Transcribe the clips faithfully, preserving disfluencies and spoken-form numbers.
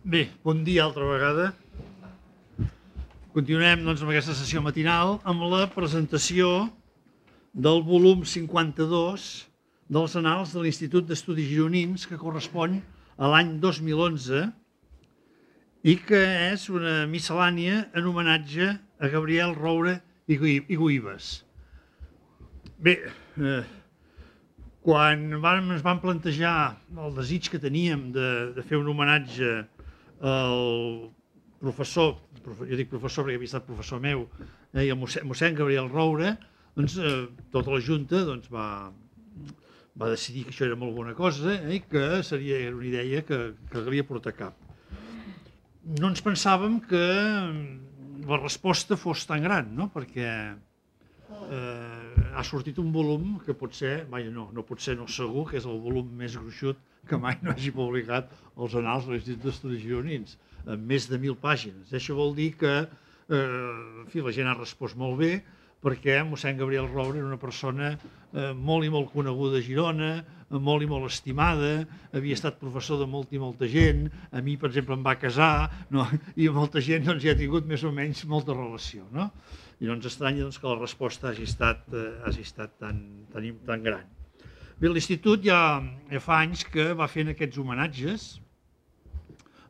Bé, bon dia altra vegada. Continuem doncs, amb aquesta sessió matinal amb la presentació del volum cinquanta-dos dels Annals de l'Institut d'Estudis Gironins, que correspon a l'any dos mil onze i que és una miscel·lània en homenatge a Gabriel Roure i Güibes. Bé, eh, quan vam, ens vam plantejar el desig que teníem de, de fer un homenatge al professor, jo dic professor perquè havia estat professor meu, eh, i el mossèn, mossèn Gabriel Roure, doncs, eh, tota la Junta doncs, va, va decidir que això era molt bona cosa eh, i que seria una idea que, que calia portar a cap. No ens pensàvem que la resposta fos tan gran, no? Perquè eh, ha sortit un volum que pot ser, vaja, no, no pot ser, no segur, que és el volum més gruixut que mai no hagi publicat els Annals de l'Institut d'Estudis Gironins, amb més de mil pàgines. Això vol dir que eh, en fi, la gent ha respost molt bé, perquè mossèn Gabriel Roure era una persona eh, molt i molt coneguda a Girona, molt i molt estimada, havia estat professor de molta i molta gent, a mi, per exemple, em va casar, no? I molta gent doncs, ja ha tingut més o menys molta relació. No? I no ens estranya doncs, que la resposta hagi estat, eh, hagi estat tan, tan, tan gran. Bé, l'Institut ja, ja fa anys que va fent aquests homenatges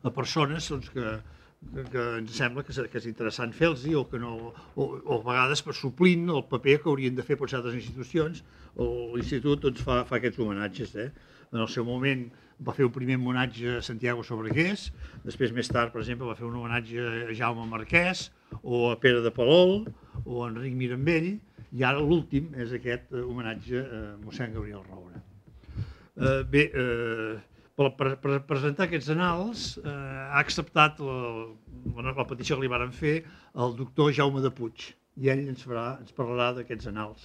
a persones doncs, que, que, que ens sembla que és, que és interessant fer-los o que no, o, o a vegades per suplint el paper que haurien de fer per certes institucions, l'Institut doncs, fa, fa aquests homenatges. Eh? En el seu moment va fer un primer homenatge a Santiago Sobregués, després més tard, per exemple, va fer un homenatge a Jaume Marquès o a Pere de Palol o a Enric Mirambell, i ara l'últim és aquest homenatge a mossèn Gabriel Roure. Eh, bé, eh, per, per, per presentar aquests annals eh, ha acceptat la, la petició que li varen fer el doctor Jaume de Puig, i ell ens, farà, ens parlarà d'aquests annals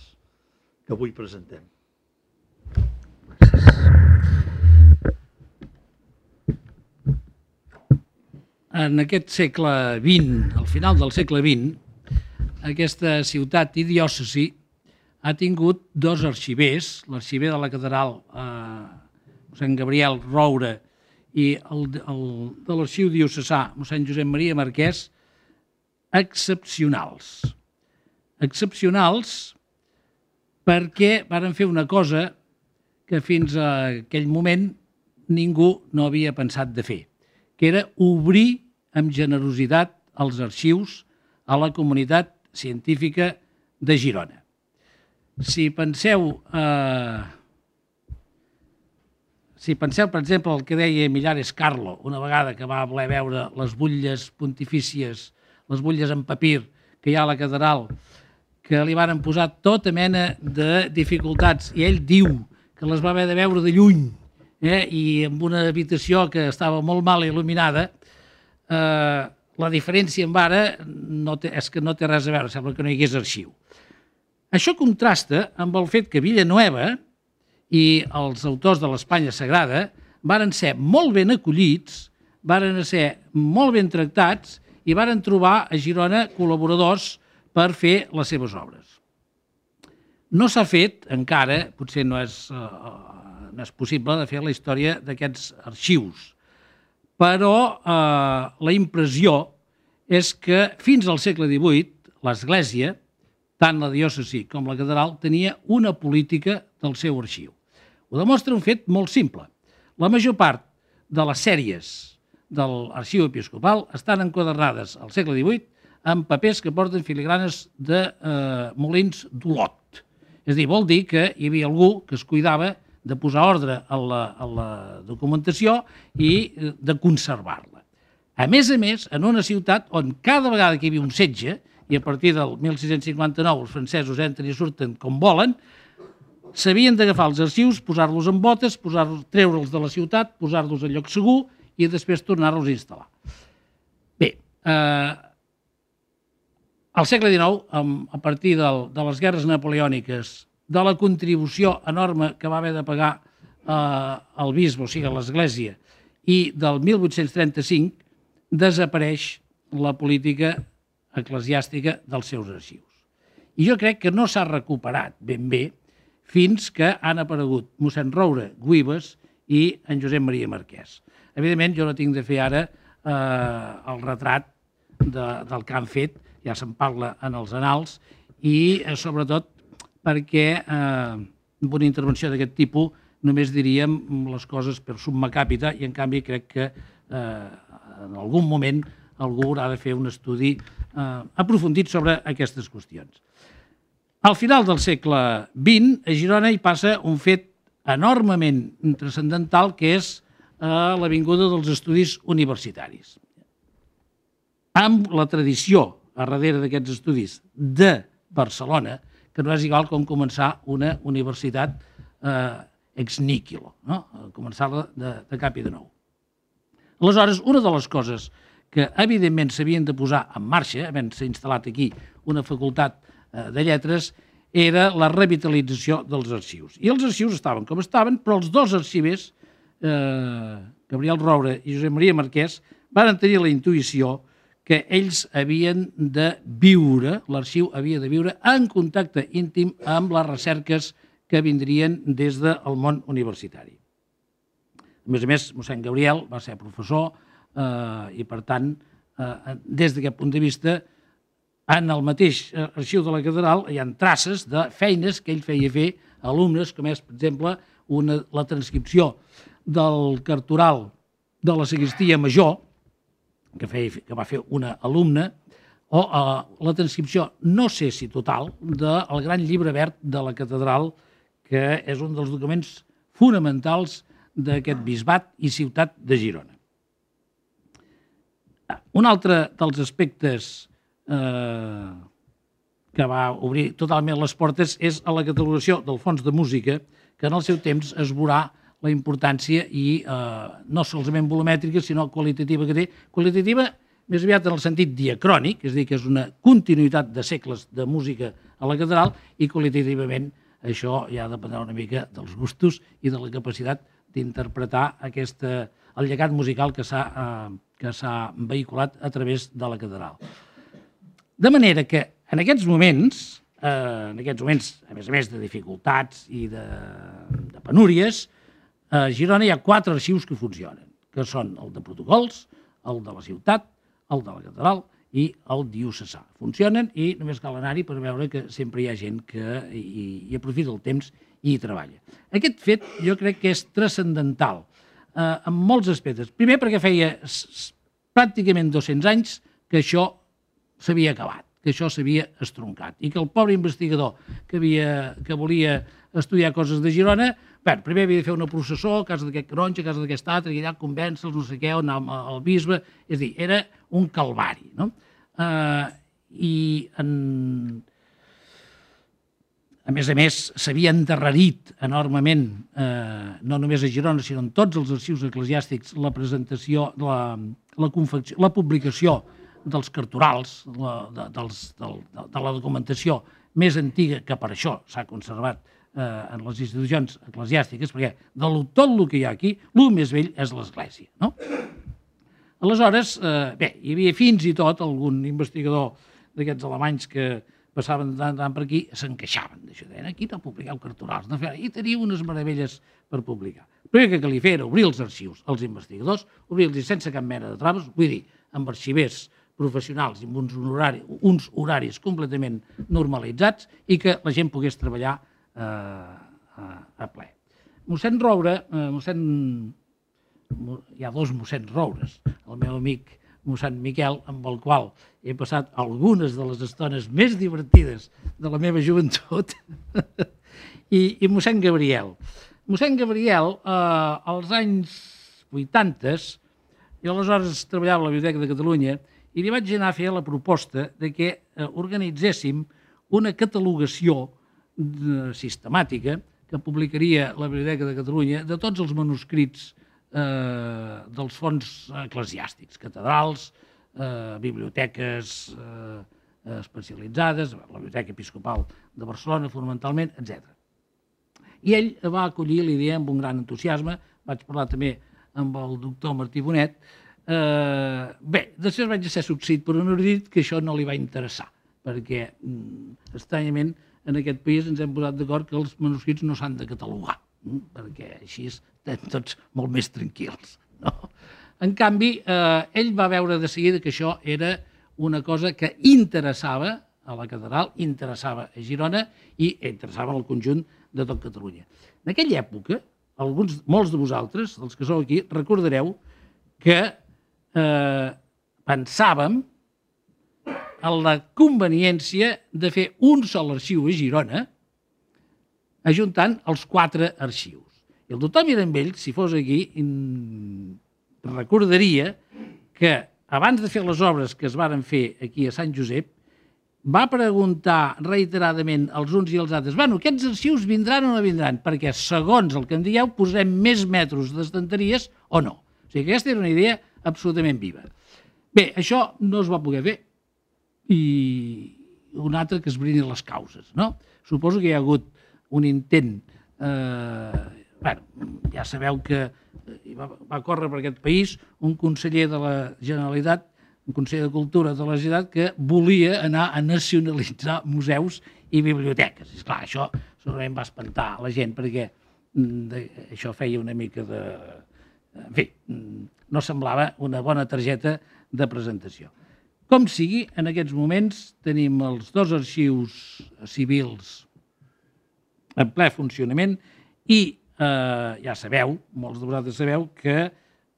que avui presentem. En aquest segle vint, al final del segle vint, aquesta ciutat i diòcesi ha tingut dos arxivers, l'arxiver de la catedral eh, mossèn Gabriel Roure i el, el de l'arxiu diocesà mossèn Josep Maria Marquès, excepcionals. Excepcionals perquè varen fer una cosa que fins a aquell moment ningú no havia pensat de fer, que era obrir amb generositat els arxius a la comunitat científica de Girona. Si penseu, eh, si penseu, per exemple, el que deia Millares Carlo, una vegada que va voler veure les butlles pontifícies, les butlles en papir que hi ha a la catedral, que li varen posar tota mena de dificultats, i ell diu que les va haver de veure de lluny, eh, i en una habitació que estava molt mal il·luminada, eh, la diferència amb ara no té, és que no té res a veure, sembla que no hi hagués arxiu. Això contrasta amb el fet que Villanueva i els autors de l'Espanya Sagrada varen ser molt ben acollits, varen ser molt ben tractats i varen trobar a Girona col·laboradors per fer les seves obres. No s'ha fet encara, potser no és, uh, no és possible de fer la història d'aquests arxius, però eh, la impressió és que fins al segle divuit l'Església, tant la diòcesi com la catedral, tenia una política del seu arxiu. Ho demostra un fet molt simple. La major part de les sèries de l'arxiu episcopal estan enquadernades al segle divuit amb papers que porten filigranes de eh, molins d'Olot. És a dir, vol dir que hi havia algú que es cuidava de posar ordre a la, a la documentació i de conservar-la. A més a més, en una ciutat on cada vegada que hi havia un setge, i a partir del mil sis-cents cinquanta-nou els francesos entren i surten com volen, s'havien d'agafar els arxius, posar-los en botes, treure'ls de la ciutat, posar-los en lloc segur i després tornar-los a instal·lar. Bé, eh, al segle dinou, a partir del, de les guerres napoleòniques, de la contribució enorme que va haver de pagar eh, el bisbe, o sigui, l'Església, i del mil vuit-cents trenta-cinc desapareix la política eclesiàstica dels seus arxius. I jo crec que no s'ha recuperat ben bé fins que han aparegut mossèn Roure, Güibes i en Josep Maria Marquès. Evidentment, jo no tinc de fer ara el retrat del que han fet, ja se'n parla en els annals, i sobretot perquè amb una intervenció d'aquest tipus només diríem les coses per summa capita i en canvi crec que en algun moment algú haurà de fer un estudi aprofundit sobre aquestes qüestions. Al final del segle vint, a Girona hi passa un fet enormement transcendental que és l'avinguda dels estudis universitaris. Amb la tradició a darrere d'aquests estudis de Barcelona, que no és igual com començar una universitat ex nihilo, començar-la de cap i de nou. Aleshores, una de les coses que evidentment s'havien de posar en marxa, havent-se instal·lat aquí una facultat de lletres, era la revitalització dels arxius. I els arxius estaven com estaven, però els dos arxivers, Gabriel Roure i Josep Maria Marquès, van tenir la intuïció que ells havien de viure, l'arxiu havia de viure en contacte íntim amb les recerques que vindrien des del món universitari. A més a més, mossèn Gabriel va ser professor i, per tant, des d'aquest punt de vista, en el mateix arxiu de la catedral hi ha traces de feines que ell feia fer a alumnes, com és, per exemple, la transcripció del cartoral de la sagristia major, que va fer una alumna, o la transcripció, no sé si total, del gran llibre verd de la catedral, que és un dels documents fonamentals d'aquest bisbat i ciutat de Girona. Un altre dels aspectes que va obrir totalment les portes és a la catalogació del fons de música, que en el seu temps es veurà la importància i no solament volumètrica, sinó qualitativa que té. Qualitativa més aviat en el sentit diacrònic, és a dir, que és una continuïtat de segles de música a la catedral, i qualitativament això ja dependrà una mica dels gustos i de la capacitat d'interpretar el llegat musical que s'ha vehiculat a través de la catedral. De manera que en aquests moments, en aquests moments, a més a més de dificultats i de penúries, a Girona hi ha quatre arxius que funcionen, que són el de protocols, el de la ciutat, el de la catedral i el diocesà. Funcionen i només cal anar-hi per veure que sempre hi ha gent que hi aprofita el temps i hi treballa. Aquest fet jo crec que és transcendental en molts aspectes. Primer perquè feia pràcticament dos-cents anys que això s'havia acabat, que això s'havia estroncat i que el pobre investigador que volia estudiar coses de Girona, bé, primer havia de fer una processó a casa d'aquest canonge, a casa d'aquest altre, i allà convèncer-los, no sé què, anar al bisbe, és a dir, era un calvari, no? I a més a més s'havia endarrerit enormement, no només a Girona, sinó en tots els arxius eclesiàstics, la presentació, la publicació dels cartorals, de la documentació més antiga, que per això s'ha conservat en les institucions eclesiàstiques, perquè de tot el que hi ha aquí, el més vell és l'Església. Aleshores, bé, hi havia fins i tot algun investigador d'aquests alemanys que passaven de tant per aquí, s'enqueixaven d'això, deien, aquí no publiqueu cartorals, i teniu unes meravelles per publicar. El primer que calia fer era obrir els arxius als investigadors, obrir-los sense cap mena de traves, vull dir, amb arxivers professionals i amb uns horaris completament normalitzats i que la gent pogués treballar a ple. Mossèn Roure, hi ha dos mossèns Roures, el meu amic mossèn Miquel, amb el qual he passat algunes de les estones més divertides de la meva joventut, i mossèn Gabriel. Mossèn Gabriel, als anys vuitanta, jo aleshores treballava a la Biblioteca de Catalunya i li vaig anar a fer la proposta que organitzéssim una catalogació sistemàtica que publicaria la Biblioteca de Catalunya de tots els manuscrits dels fons eclesiàstics, catedrals, biblioteques especialitzades, la Biblioteca Episcopal de Barcelona, fonamentalment, etcètera. I ell va acollir l'idea amb un gran entusiasme, vaig parlar també amb el doctor Martí Bonet. Bé, després vaig ser succeït per un erudit que això no li va interessar, perquè, estranyament, en aquest país ens hem posat d'acord que els manuscrits no s'han de catalogar, perquè així estem tots molt més tranquils. En canvi, eh, ell va veure de seguida que això era una cosa que interessava a la catedral, interessava a Girona i interessava al conjunt de tot Catalunya. En aquella època, alguns, molts de vosaltres, dels que sou aquí, recordareu que eh, pensàvem en la conveniència de fer un sol arxiu a Girona, ajuntant els quatre arxius. I el doctor Mirambell, si fos aquí, recordaria que abans de fer les obres que es varen fer aquí a Sant Josep, va preguntar reiteradament als uns i als altres, bueno, aquests arxius vindran o no vindran? Perquè, segons el que en dieu, posarem més metres d'estanteries o no. O sigui que aquesta era una idea absolutament viva. Bé, això no es va poder fer. I un altre que esbrini les causes, no? Suposo que hi ha hagut un intent... Eh, bueno, ja sabeu que va, va córrer per aquest país un conseller de la Generalitat, un conseller de Cultura de la Generalitat, que volia anar a nacionalitzar museus i biblioteques. I esclar, això segurament va espantar la gent, perquè de, això feia una mica de... En fi, no semblava una bona targeta de presentació. Com sigui, en aquests moments tenim els dos arxius civils en ple funcionament i eh, ja sabeu, molts de vosaltres sabeu, que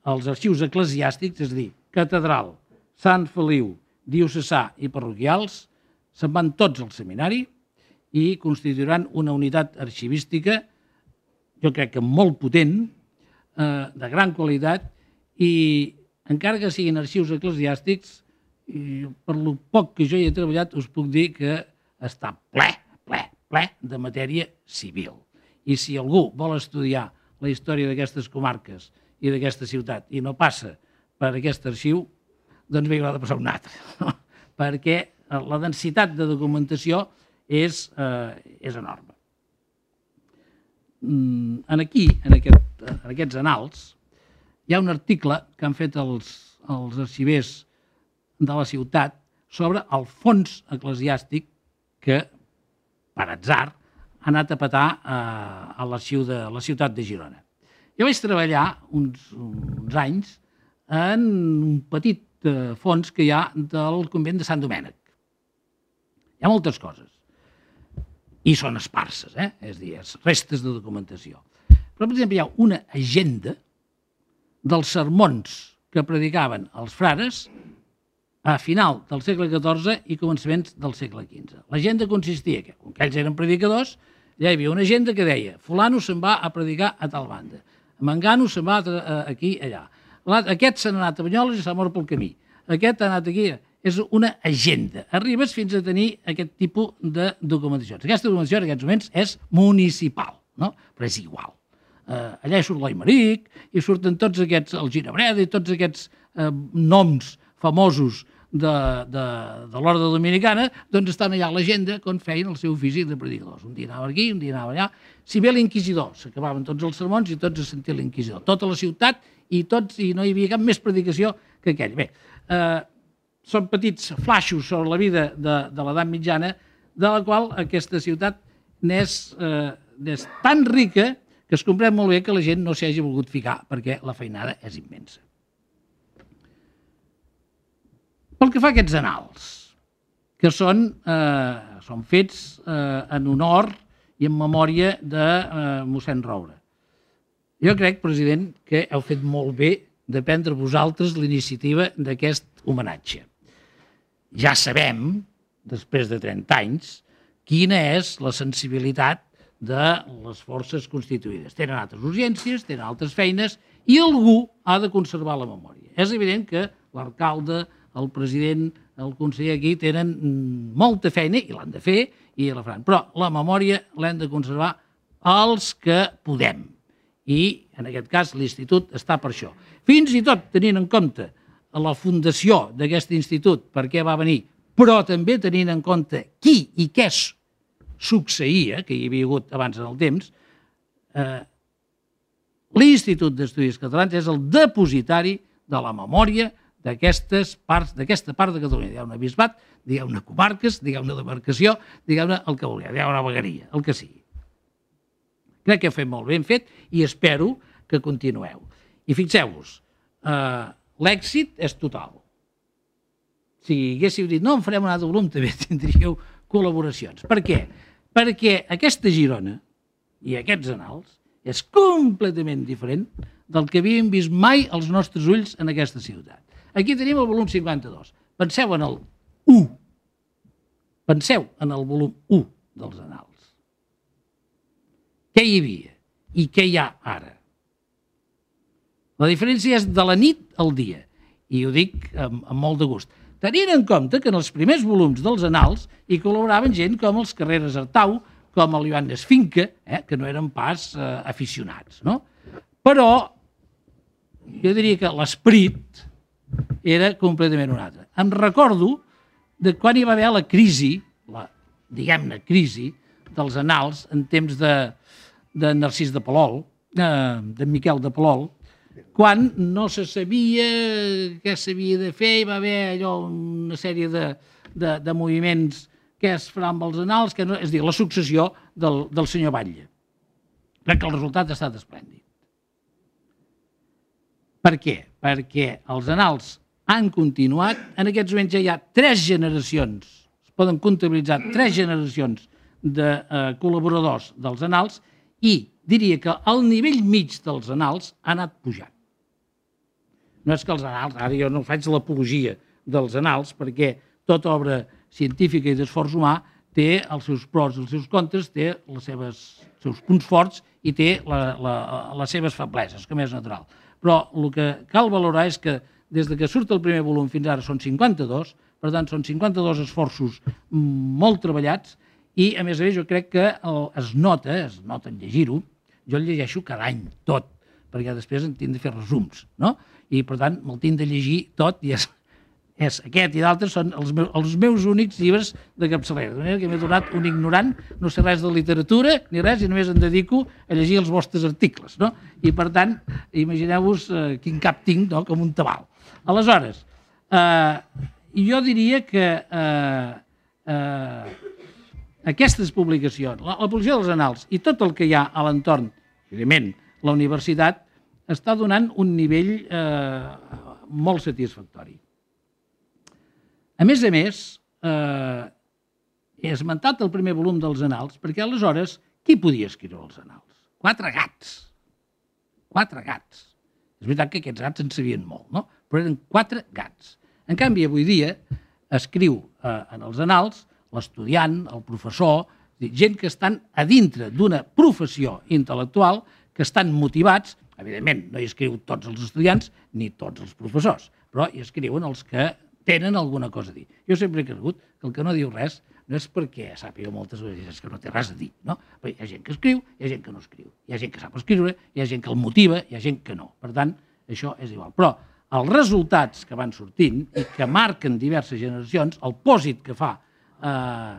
els arxius eclesiàstics, és a dir, catedral, Sant Feliu, diocesà i parroquials, se'n van tots al seminari i constituiran una unitat arxivística, jo crec que molt potent, eh, de gran qualitat, i encara que siguin arxius eclesiàstics, i per lo poc que jo hi he treballat, us puc dir que està ple, ple, ple de matèria civil. I si algú vol estudiar la història d'aquestes comarques i d'aquesta ciutat i no passa per aquest arxiu, doncs bé, haurà de passar un altre, no? Perquè la densitat de documentació és, eh, és enorme. En aquí, en, aquest, en aquests annals, hi ha un article que han fet els, els arxivers de la ciutat sobre el fons eclesiàstic que, per atzar, ha anat a petar a l'arxiu de la ciutat de Girona. Jo vaig treballar uns, uns anys en un petit fons que hi ha del convent de Sant Domènec. Hi ha moltes coses. I són esparses, eh? És a dir, restes de documentació. Però, per exemple, hi ha una agenda dels sermons que predicaven els frares a final del segle catorze i començaments del segle quinze. L'agenda consistia que, com que ells eren predicadors, ja hi havia una agenda que deia fulano se'n va a predicar a tal banda, mengano se'n va aquí, allà. Aquest se n'ha anat a Banyoles i s'ha mort pel camí. Aquest ha anat aquí. És una agenda. Arribes fins a tenir aquest tipus de documentacions. Aquesta documentació en aquests moments és municipal, no? Però és igual. Uh, allà hi surt l'Aimeric, i surten tots aquests, el Ginebreda i tots aquests uh, noms famosos de, de, de l'Orde Dominicana, doncs estan allà a l'agenda quan feien el seu ofici de predicadors. Un dia anava aquí, un dia anava allà. Si bé l'inquisidor, s'acabaven tots els sermons i tots a sentir l'inquisidor. Tota la ciutat i tots, i no hi havia cap més predicació que aquell. Bé, eh, són petits flaixos sobre la vida de, de l'edat mitjana, de la qual aquesta ciutat n'és eh, tan rica que es comprèn molt bé que la gent no s'hi hagi volgut ficar, perquè la feinada és immensa. Pel que fa a aquests annals, que són, eh, són fets eh, en honor i en memòria de eh, mossèn Roure. Jo crec, president, que heu fet molt bé de prendre vosaltres l'iniciativa d'aquest homenatge. Ja sabem, després de trenta anys, quina és la sensibilitat de les forces constituïdes. Tenen altres urgències, tenen altres feines, i algú ha de conservar la memòria. És evident que l'alcalde, el president, el conseller aquí tenen molta feina, i l'han de fer, i la faran. Però la memòria l'hem de conservar els que podem. I, en aquest cas, l'institut està per això. Fins i tot tenint en compte la fundació d'aquest institut, per què va venir, però també tenint en compte qui i què succeïa, que hi havia hagut abans en el temps, eh, l'Institut d'Estudis Catalans és el depositari de la memòria d'aquestes parts, d'aquesta part de Catalunya. Digueu-ne bisbat, digueu-ne comarques, digueu-ne demarcació, digueu-ne el que vulgueu, digueu-ne vegueria, el que sigui. Crec que heu fet molt ben fet i espero que continueu. I fixeu-vos, l'èxit és total. Si haguéssiu dit, no, en farem un altre volum, també tindríeu col·laboracions. Per què? Perquè aquesta Girona i aquests annals és completament diferent del que havíem vist mai als nostres ulls en aquesta ciutat. Aquí tenim el volum cinquanta-dos. Penseu en el u. Penseu en el volum u dels annals. Què hi havia i què hi ha ara? La diferència és de la nit al dia, i ho dic amb, amb molt de gust. Tenint en compte que en els primers volums dels annals hi col·laboraven gent com els Carreras Artau, com el Joan Esfinca, eh, que no eren pas eh, aficionats. No? Però jo diria que l'esperit era completament un altre. Em recordo de quan hi va haver la crisi, la, diguem-ne, crisi dels annals en temps de, de Narcís de Palol, eh, de Miquel de Palol, quan no se sabia què s'havia de fer, hi va haver allò, una sèrie de, de, de moviments que es faran amb els annals, que no, és a dir, la successió del, del senyor Batlle. Crec que el resultat ha estat esplèndid. Per què? Perquè els annals han continuat, en aquests moments ja hi ha tres generacions, es poden comptabilitzar tres generacions de eh, col·laboradors dels annals i diria que el nivell mig dels annals ha anat pujant. No és que els annals, ara jo no faig l'apologia dels annals, perquè tota obra científica i d'esforç humà té els seus pros i els seus contres, té els seves, seus punts forts i té la, la, les seves febleses, com és natural. Però el que cal valorar és que des de que surt el primer volum fins ara són cinquanta-dos, per tant són cinquanta-dos esforços molt treballats i, a més a més, jo crec que es nota, es nota en llegir-ho, jo el llegeixo cada any, tot, perquè després en tinc de fer resums, no? I, per tant, me'l tinc de llegir tot i és, és aquest i d'altres són els meus, els meus únics llibres de capçalera. De manera que m'he donat un ignorant, no sé res de literatura ni res, i només em dedico a llegir els vostres articles, no? I, per tant, imagineu-vos eh, quin cap tinc, no? Com un tabal. Aleshores, eh, jo diria que eh, eh, aquestes publicacions, la, la publicació dels annals i tot el que hi ha a l'entorn, evidentment, la universitat, està donant un nivell eh, molt satisfactori. A més a més, eh, he esmentat el primer volum dels annals, perquè aleshores, qui podia escriure els annals? Quatre gats. Quatre gats. És veritat que aquests gats en sabien molt, no? Però eren quatre gats. En canvi, avui dia, escriu eh, en els annals l'estudiant, el professor, gent que estan a dintre d'una professió intel·lectual, que estan motivats, evidentment no hi escriu tots els estudiants ni tots els professors, però hi escriuen els que tenen alguna cosa a dir. Jo sempre he cregut que el que no diu res no és perquè sàpiga moltes vegades que no té res a dir, no? Però hi ha gent que escriu, hi ha gent que no escriu, hi ha gent que sap escriure, hi ha gent que el motiva, hi ha gent que no. Per tant, això és igual. Però els resultats que van sortint i que marquen diverses generacions, el pòsit que fa eh,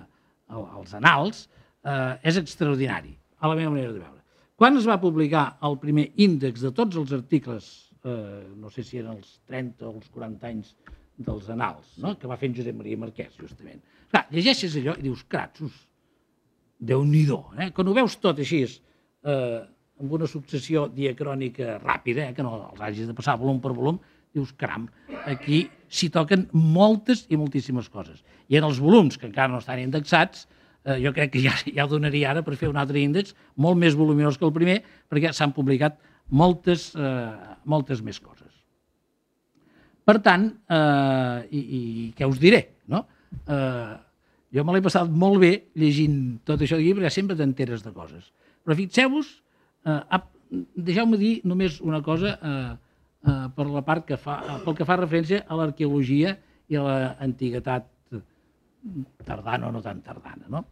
els annals, eh, és extraordinari, a la meva manera de veure. Quan es va publicar el primer índex de tots els articles, eh, no sé si eren els trenta o els quaranta anys dels annals, no? Que va fer en Josep Maria Marquès, justament. Clar, llegeixes allò i dius, cratsos, Déu-n'hi-do. Eh? Quan ho veus tot així, eh, amb una successió diacrònica ràpida, eh, que no els hagis de passar volum per volum, dius, caram, aquí s'hi toquen moltes i moltíssimes coses. I en els volums, que encara no estan indexats, eh, jo crec que ja, ja donaria ara per fer un altre índex molt més voluminós que el primer, perquè s'han publicat moltes, eh, moltes més coses. Per tant, eh, i, i què us diré, no? Eh, jo me l'he passat molt bé llegint tot això de llibre, sempre t'enteres de coses. Però fixeu-vos, eh, deixeu-me dir només una cosa eh, eh, per la part que fa, pel que fa referència a l'arqueologia i a l'antiguitat tardana o no tan tardana, no?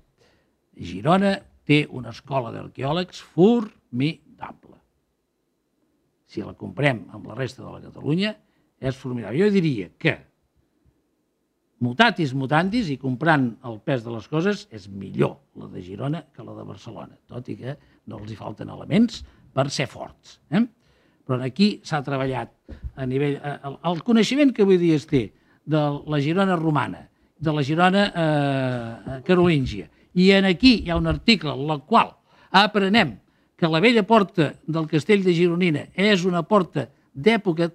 Girona té una escola d'arqueòlegs formidable. Si la comprem amb la resta de la Catalunya, és formidable. Jo diria que, mutatis mutandis, i comprant el pes de les coses, és millor la de Girona que la de Barcelona, tot i que no els hi falten elements per ser forts. Eh? Però aquí s'ha treballat a nivell... El, el coneixement que avui dia es té de la Girona romana, de la Girona eh, carolíngia, i en aquí hi ha un article en el qual aprenem que la vella porta del castell de Gironina és una porta d'època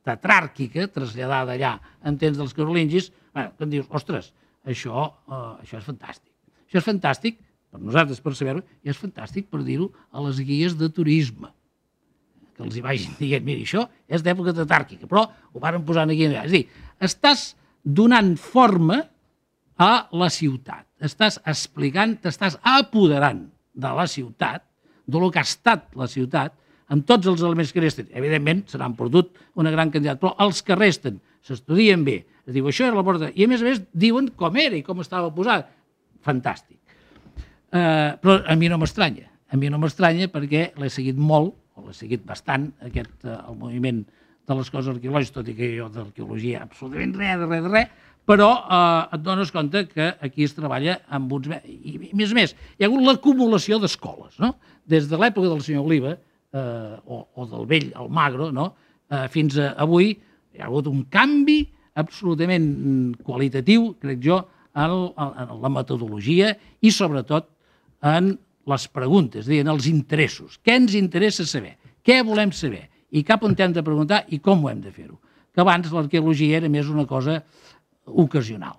tetràrquica, traslladada allà en temps dels carolingis, bueno, que em dius, ostres, això, uh, això és fantàstic. Això és fantàstic per nosaltres, per saber-ho, i és fantàstic per dir-ho a les guies de turisme, que els hi vagin dient, mira, això és d'època tetràrquica, però ho varen posant aquí. És a dir, estàs donant forma a la ciutat, estàs explicant, t'estàs apoderant de la ciutat, del que ha estat la ciutat, amb tots els elements que resten. Evidentment, se n'han perdut una gran quantitat, però els que resten s'estudien bé. Es diu, això és la porta... I a més a més diuen com era i com estava posat. Fantàstic. Uh, però a mi no m'estranya. A mi no m'estranya perquè l'he seguit molt, o l'he seguit bastant, aquest, uh, el moviment de les coses arqueològiques, tot i que jo d'arqueologia absolutament res, de res, de res, però uh, et dones compte que aquí es treballa amb uns... I, i més a més, hi ha hagut l'acumulació d'escoles, no? Des de l'època del senyor Oliva, eh, o, o del vell Almagro, no? eh, fins a avui, hi ha hagut un canvi absolutament qualitatiu, crec jo, en, en la metodologia i sobretot en les preguntes, és a dir, en els interessos. Què ens interessa saber? Què volem saber? I cap on hem de preguntar i com ho hem de fer-ho? Que abans l'arqueologia era més una cosa ocasional.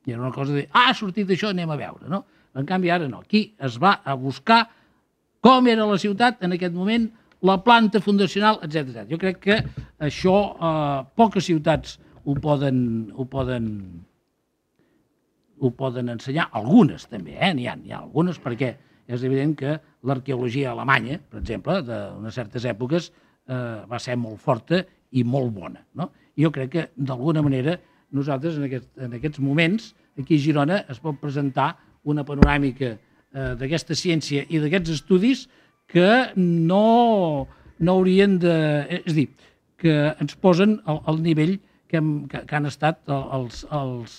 I era una cosa de, ah, ha sortit d'això, anem a veure, no? En canvi, ara no. Aquí es va a buscar com era la ciutat en aquest moment, la planta fundacional, etcètera. Jo crec que això eh, poques ciutats ho poden, ho poden, ho poden ensenyar, algunes també, eh? N'hi ha, n'hi ha algunes, perquè és evident que l'arqueologia alemanya, per exemple, d'unes certes èpoques, eh, va ser molt forta i molt bona, no? Jo crec que, d'alguna manera, nosaltres en, aquest, en aquests moments, aquí a Girona, es pot presentar una panoràmica eh, d'aquesta ciència i d'aquests estudis que no, no haurien de... És a dir, que ens posen al, al nivell que, hem, que, que han estat els, els,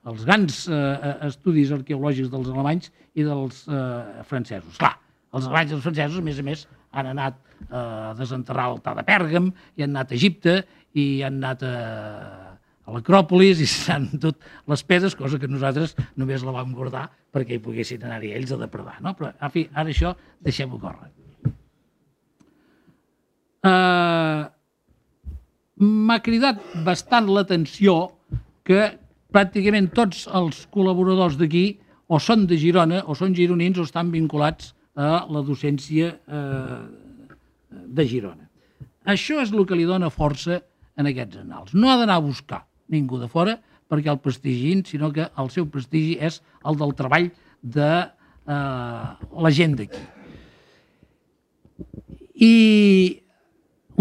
els grans eh, estudis arqueològics dels alemanys i dels eh, francesos. Clar, els alemanys i els francesos, a més a més, han anat eh, a desenterrar l'altar de Pèrgam, i han anat a Egipte, i han anat a... a l'Acròpolis i s'han dut les pedres, cosa que nosaltres només la vam guardar perquè hi poguessin anar-hi ells a depredar, no? Però, en fi, ara això deixem-ho córrer. Uh, M'ha cridat bastant l'atenció que pràcticament tots els col·laboradors d'aquí o són de Girona, o són gironins, o estan vinculats a la docència eh, de Girona. Això és el que li dona força en aquests annals. No ha d'anar a buscar ningú de fora perquè el prestigin, sinó que el seu prestigi és el del treball de eh, la gent d'aquí. I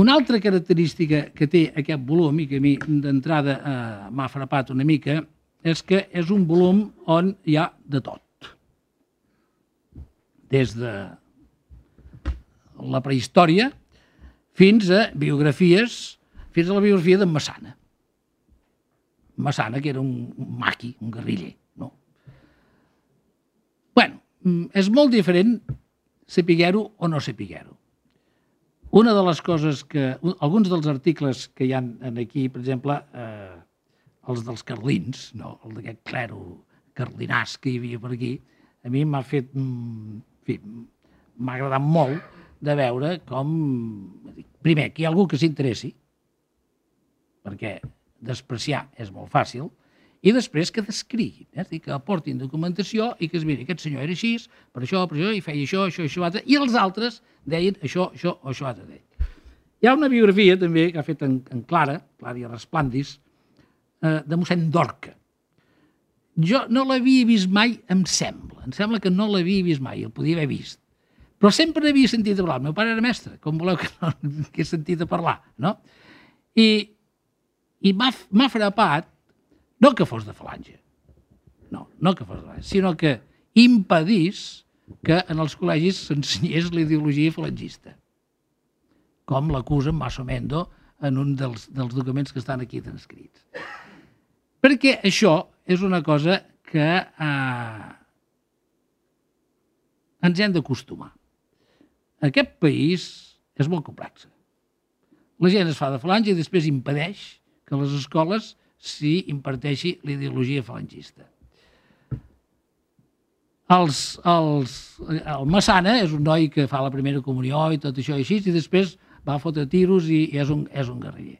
una altra característica que té aquest volum, i que a mi d'entrada eh, m'ha frapat una mica, és que és un volum on hi ha de tot. Des de la prehistòria fins a biografies, fins a la biografia d'en Massana. Massana, que era un maqui, un guerriller. No? Bueno, és molt diferent sapiguer-ho o no sapiguer-ho. Una de les coses que... Alguns dels articles que hi ha aquí, per exemple, eh, els dels carlins, no? El d'aquest clero carlinàs que hi havia per aquí, a mi m'ha fet... En fi, m'ha agradat molt de veure com... Primer, que hi ha algú que s'interessi, perquè despreciar és molt fàcil, i després que descriguin, eh? És a dir, que aportin documentació i que es miri, aquest senyor era així, per això, per això, i feia això, això, això, altre, i els altres deien això, això o això altre. Hi ha una biografia també que ha fet en, en Clara, Clària Resplandis, eh, de mossèn Dorca. Jo no l'havia vist mai, em sembla, em sembla que no l'havia vist mai, el podia haver vist, però sempre havia sentit a parlar. El meu pare era mestre, com voleu que, no, que he sentit a parlar, no? I, i m'ha frapat, no que fos de falange, no, no que fos de falange, sinó que impedís que en els col·legis s'ensenyés la ideologia falangista, com l'acusa Maso Mendo en un dels, dels documents que estan aquí transcrits. Perquè això és una cosa que eh, ens hem d'acostumar. Aquest país és molt complex. La gent es fa de falange i després impedeix que a les escoles s'hi imparteixi la ideologia falangista. Els, els, el Massana és un noi que fa la primera comunió i tot això i així, i després va a fotre tiros i, i és, un, és un guerriller.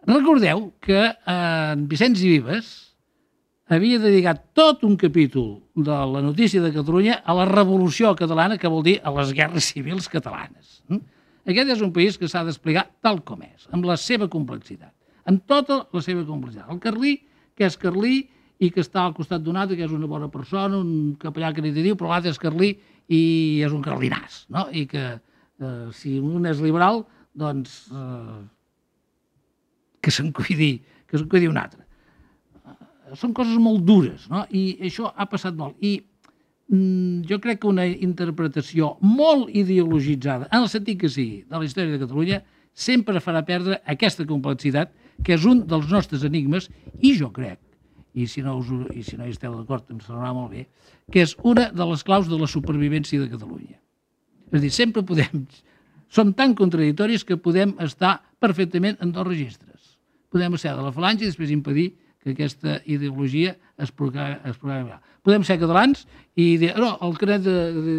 Recordeu que en Vicenç i Vives havia dedicat tot un capítol de la notícia de Catalunya a la Revolució Catalana, que vol dir a les guerres civils catalanes. Aquest és un país que s'ha d'explicar tal com és, amb la seva complexitat, amb tota la seva complexitat. El carlí, que és carlí i que està al costat d'un altre, que és una bona persona, un capellà caritatiu, però l'altre és carlí i és un carlinàs, no? I que eh, si un és liberal, doncs eh, que se'n cuidi, que se'n cuidi un altre. Són coses molt dures, no? I això ha passat molt. I mm, jo crec que una interpretació molt ideologitzada, en el sentit que sigui, de la història de Catalunya, sempre farà perdre aquesta complexitat, que és un dels nostres enigmes, i jo crec, i si no, us, i si no hi esteu d'acord, em sonarà molt bé, que és una de les claus de la supervivència de Catalunya. És a dir, sempre podem... Som tan contradictoris que podem estar perfectament en dos registres. Podem ser de la falange i després impedir que aquesta ideologia es programa. Podem ser catalans i dir, no, el canet de,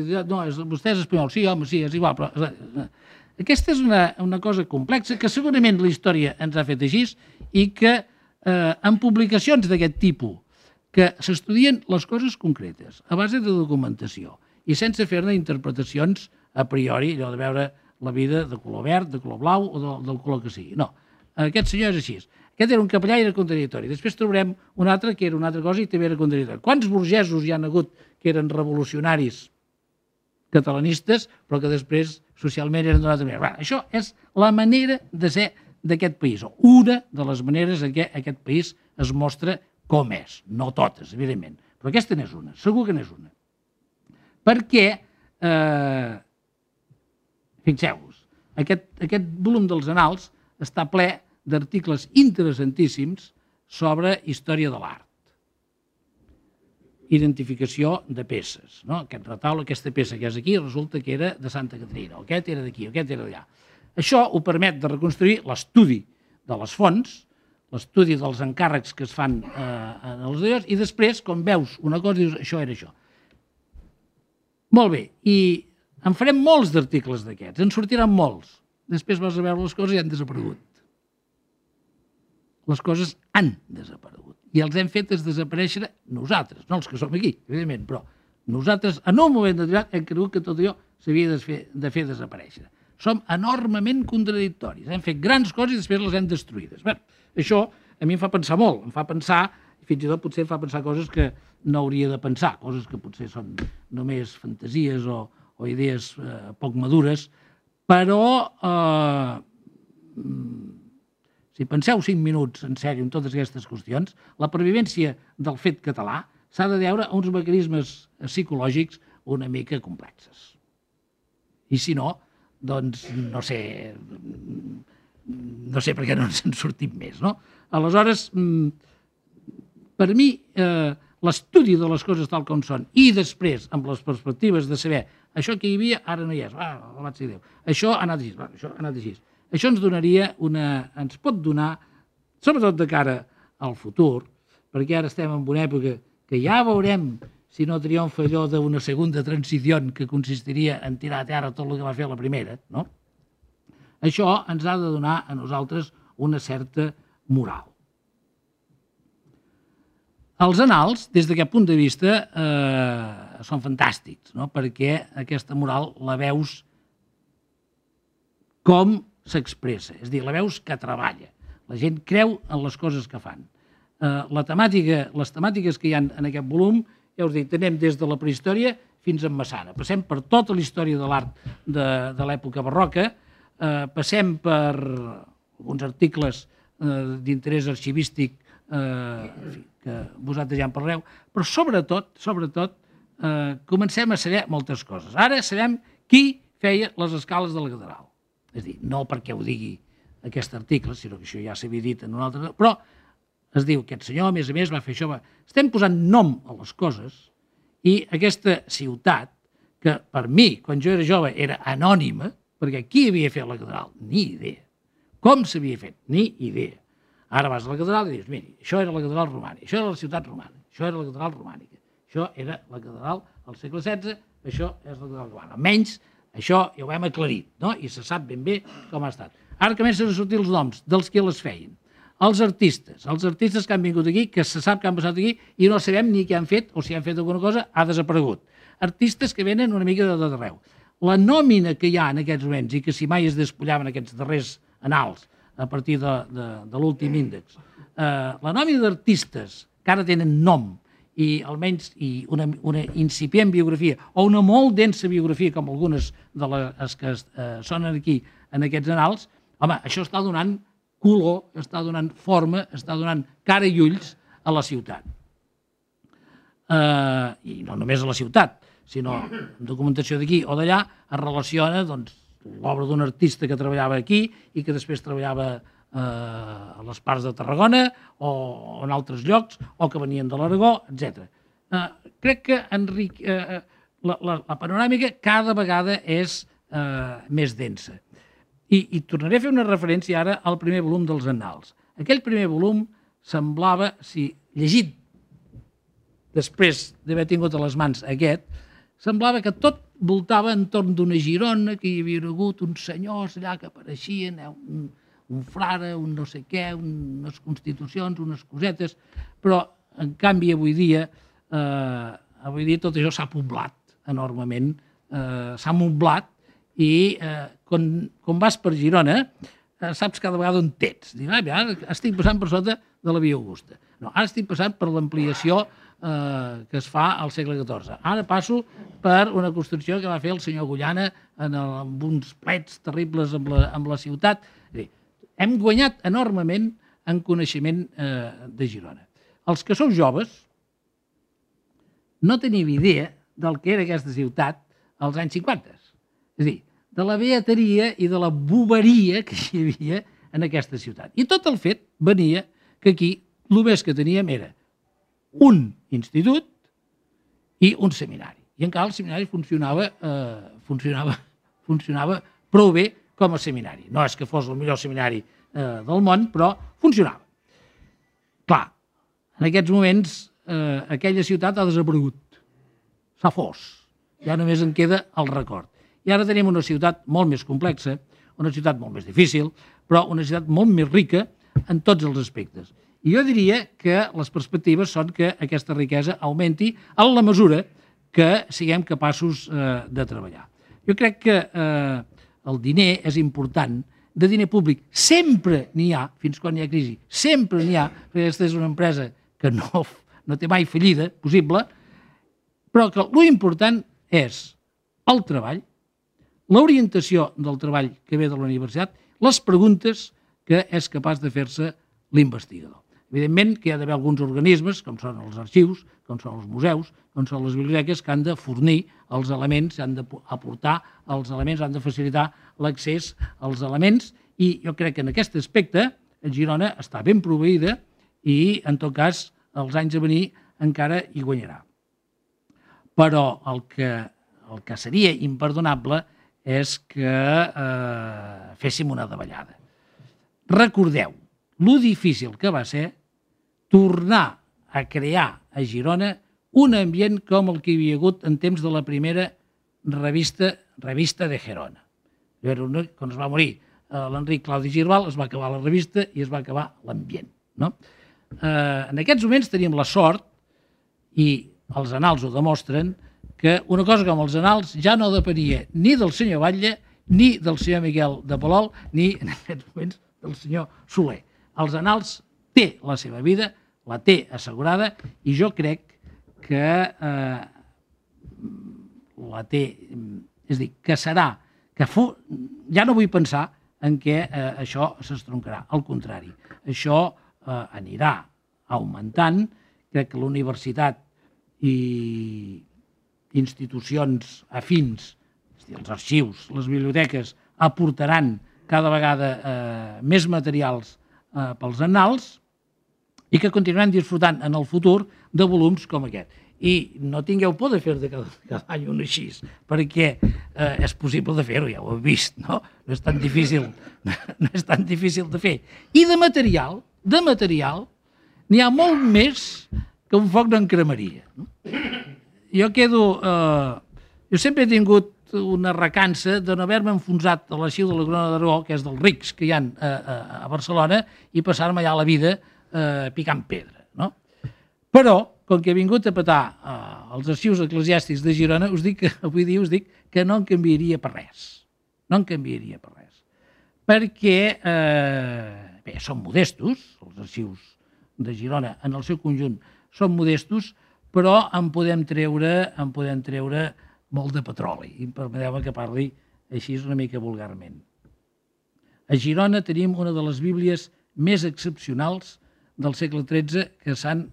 de, no, és, vostè és espanyol, sí, home, sí, és igual, però... Aquesta és una, una cosa complexa que segurament la història ens ha fet així i que eh, en publicacions d'aquest tipus que s'estudien les coses concretes a base de documentació i sense fer-ne interpretacions a priori, allò de veure la vida de color verd, de color blau o de, del color que sigui. No, aquest senyor és així. Aquest era un capellà i era contradictori. Després trobarem un altre que era una altra cosa i també era contradictori. Quants burgesos hi han hagut que eren revolucionaris catalanistes, però que després socialment eren d'una altra manera? Bé, això és la manera de ser d'aquest país, o una de les maneres en què aquest país es mostra com és. No totes, evidentment, però aquesta n'és una, segur que n'és una. Perquè, eh, fixeu-vos, aquest, aquest volum dels annals està ple d'articles interessantíssims sobre història de l'art. Identificació de peces. No? Aquest retaule, aquesta peça que és aquí, resulta que era de Santa Caterina, aquest era d'aquí, aquest era d'allà. Això ho permet de reconstruir l'estudi de les fonts, l'estudi dels encàrrecs que es fan eh, en els diaris, i després, quan veus una cosa, dius, això era això. Molt bé, i en farem molts d'articles d'aquests, en sortiran molts. Després vas a veure les coses i han desaparegut. Les coses han desaparegut. I els hem fet desaparèixer nosaltres, no els que som aquí, evidentment, però nosaltres, en un moment determinat, hem cregut que tot allò s'havia de fer, de fer desaparèixer. Som enormement contradictoris. Hem fet grans coses i després les hem destruïdes. Bé, això a mi em fa pensar molt, em fa pensar, fins i tot potser em fa pensar coses que no hauria de pensar, coses que potser són només fantasies o, o idees eh, poc madures, però eh, si penseu cinc minuts en sèrio en totes aquestes qüestions, la pervivència del fet català s'ha de deure a uns mecanismes psicològics una mica complexes. I si no, doncs no sé, no sé per què no ens en sortim més, no? Aleshores, per mi, eh, l'estudi de les coses tal com són i després, amb les perspectives de saber això que hi havia, ara no hi és, ah, alabat sigui Déu, això ha anat així, això ha anat així. Això ens donaria una, ens pot donar, sobretot de cara al futur, perquè ara estem en una època que ja veurem si no triomfa allò d'una segona transició que consistiria en tirar a terra tot el que va fer la primera, no? Això ens ha de donar a nosaltres una certa moral. Els annals, des d'aquest punt de vista, eh, són fantàstics, no? Perquè aquesta moral la veus com s'expressa, és a dir, la veus que treballa. La gent creu en les coses que fan. Eh, la temàtica, les temàtiques que hi ha en aquest volum, ja us dic, tenem des de la prehistòria fins a Massana. Passem per tota la història de l'art de, de l'època barroca, eh, passem per alguns articles eh, d'interès arxivístic eh, que vosaltres ja en parleu, però sobretot, sobretot, eh, comencem a saber moltes coses. Ara sabem qui feia les escales de la catedral. És a dir, no perquè ho digui aquest article, sinó que això ja s'havia dit en un altre... Però es diu, aquest senyor, a més a més, va fer això... Va... Estem posant nom a les coses i aquesta ciutat, que per mi, quan jo era jove, era anònima, perquè qui havia fet la catedral? Ni idea. Com s'havia fet? Ni idea. Ara vas a la catedral i dius, miri, això era la catedral romànica, això era la ciutat romana, això era la catedral romànica, això era la catedral al segle setze, això és la catedral romana. Almenys això ja ho hem aclarit, no? I se sap ben bé com ha estat. Ara comencen a sortir els noms dels que les feien. Els artistes, els artistes que han vingut aquí, que se sap que han passat aquí i no sabem ni què han fet, o si han fet alguna cosa, ha desaparegut. Artistes que venen una mica de tot arreu. La nòmina que hi ha en aquests moments, i que si mai es despullaven aquests darrers anals, a partir de, de, de l'últim índex, eh, la nòmina d'artistes que ara tenen nom, i almenys i una, una incipient biografia, o una molt densa biografia, com algunes de les que eh, sonen aquí en aquests anals, home, això està donant color, està donant forma, està donant cara i ulls a la ciutat. Eh, I no només a la ciutat, sinó documentació d'aquí o d'allà es relaciona doncs, l'obra d'un artista que treballava aquí i que després treballava a les parts de Tarragona o en altres llocs, o que venien de l'Aragó, etcètera. Eh, crec que enric, eh, la, la, la panoràmica cada vegada és eh, més densa. I, I tornaré a fer una referència ara al primer volum dels Annals. Aquell primer volum semblava, si llegit després d'haver tingut a les mans aquest, semblava que tot voltava entorn d'una Girona, que hi havia hagut uns senyors allà que apareixien, eh, un un frare, un no sé què, unes constitucions, unes cosetes, però, en canvi, avui dia, eh, avui dia tot això s'ha poblat enormement, eh, s'ha moblat, i eh, quan, quan vas per Girona, eh, saps cada vegada on t'ets. Dius, ah, ara estic passant per sota de la Via Augusta. No, ara estic passant per l'ampliació eh, que es fa al segle catorze. Ara passo per una construcció que va fer el senyor Agullana en el, amb uns plets terribles amb la, amb la ciutat. És dir, hem guanyat enormement en coneixement eh, de Girona. Els que sou joves no teniu idea del que era aquesta ciutat als anys cinquanta. És a dir, de la beateria i de la boberia que hi havia en aquesta ciutat. I tot el fet venia que aquí el més que teníem era un institut i un seminari. I encara el seminari funcionava, eh, funcionava, funcionava prou bé com a seminari. No és que fos el millor seminari eh, del món, però funcionava. Clar, en aquests moments eh, aquella ciutat ha desaparegut. S'ha fos. Ja només en queda el record. I ara tenim una ciutat molt més complexa, una ciutat molt més difícil, però una ciutat molt més rica en tots els aspectes. I jo diria que les perspectives són que aquesta riquesa augmenti en la mesura que siguem capaços eh, de treballar. Jo crec que eh, el diner és important, de diner públic sempre n'hi ha, fins quan hi ha crisi, sempre n'hi ha, perquè aquesta és una empresa que no, no té mai fallida possible, però que l'important és el treball, l'orientació del treball que ve de la universitat, les preguntes que és capaç de fer-se l'investigador. Evidentment que hi ha d'haver alguns organismes, com són els arxius, com són els museus, com són les biblioteques, que han de fornir els elements, han d'aportar els elements, han de facilitar l'accés als elements, i jo crec que en aquest aspecte Girona està ben proveïda i, en tot cas, els anys a venir encara hi guanyarà. Però el que, el que seria imperdonable és que eh, féssim una davallada. Recordeu lo difícil que va ser tornar a crear a Girona un ambient com el que hi havia hagut en temps de la primera revista, revista de Gerona. Quan es va morir l'Enric Claudi Girbal, es va acabar la revista i es va acabar l'ambient. No? Eh, en aquests moments tenim la sort, i els anals ho demostren, que una cosa com els anals ja no depenia ni del senyor Batlle, ni del senyor Miquel de Palol, ni en aquests moments del senyor Soler. Els anals té la seva vida, la té assegurada, i jo crec que eh, la té, és a dir, que serà, que fu, ja no vull pensar en què eh, això s'estroncarà. Al contrari, això eh, anirà augmentant. Crec que la universitat i institucions afins, és a dir, els arxius, les biblioteques, aportaran cada vegada eh, més materials eh, pels annals, i que continuaran disfrutant en el futur de volums com aquest. I no tingueu por de fer de cada, cada any un així, perquè eh, és possible de fer-ho, ja ho heu vist, no? No és tan difícil, no és tan difícil de fer. I de material, de material, n'hi ha molt més que un foc d'en cremaria. No? Jo quedo... Eh, jo sempre he tingut una recança de no haver-me enfonsat a l'arxiu de la Corona d'Aragó, que és dels rics que hi ha a, a, a Barcelona, i passar-me allà la vida eh, picant pedra. No? Però, com que he vingut a petar eh, els arxius eclesiàstics de Girona, us dic que, avui dia us dic que no en canviaria per res. No en canviaria per res. Perquè, eh, bé, són modestos, els arxius de Girona en el seu conjunt són modestos, però en podem treure, en podem treure molt de petroli. I permeteu-me que parli així una mica vulgarment. A Girona tenim una de les bíblies més excepcionals del segle tretze que s'han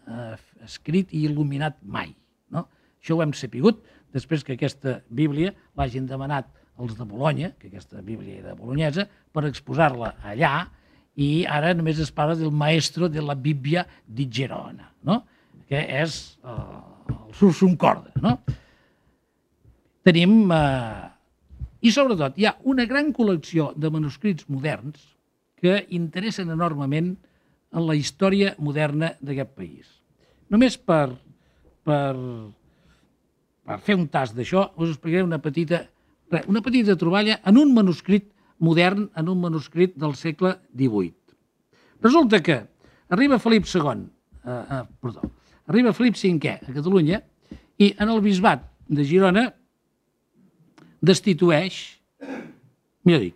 eh, escrit i il·luminat mai. No? Això ho hem sapigut després que aquesta bíblia l'hagin demanat els de Bolonya, que aquesta bíblia era bolognesa, per exposar-la allà, i ara només es parla del maestro de la Bibbia di Gerona, no? Que és eh, el Sursum Corda. No? Tenim, eh, i sobretot, hi ha una gran col·lecció de manuscrits moderns que interessen enormement en la història moderna d'aquest país. Només per, per, per fer un tast d'això, us explicaré una petita, una petita troballa en un manuscrit modern, en un manuscrit del segle divuit. Resulta que arriba Felip segon, eh, eh, perdó, arriba Felip cinquè a Catalunya i en el bisbat de Girona destitueix, millor dit,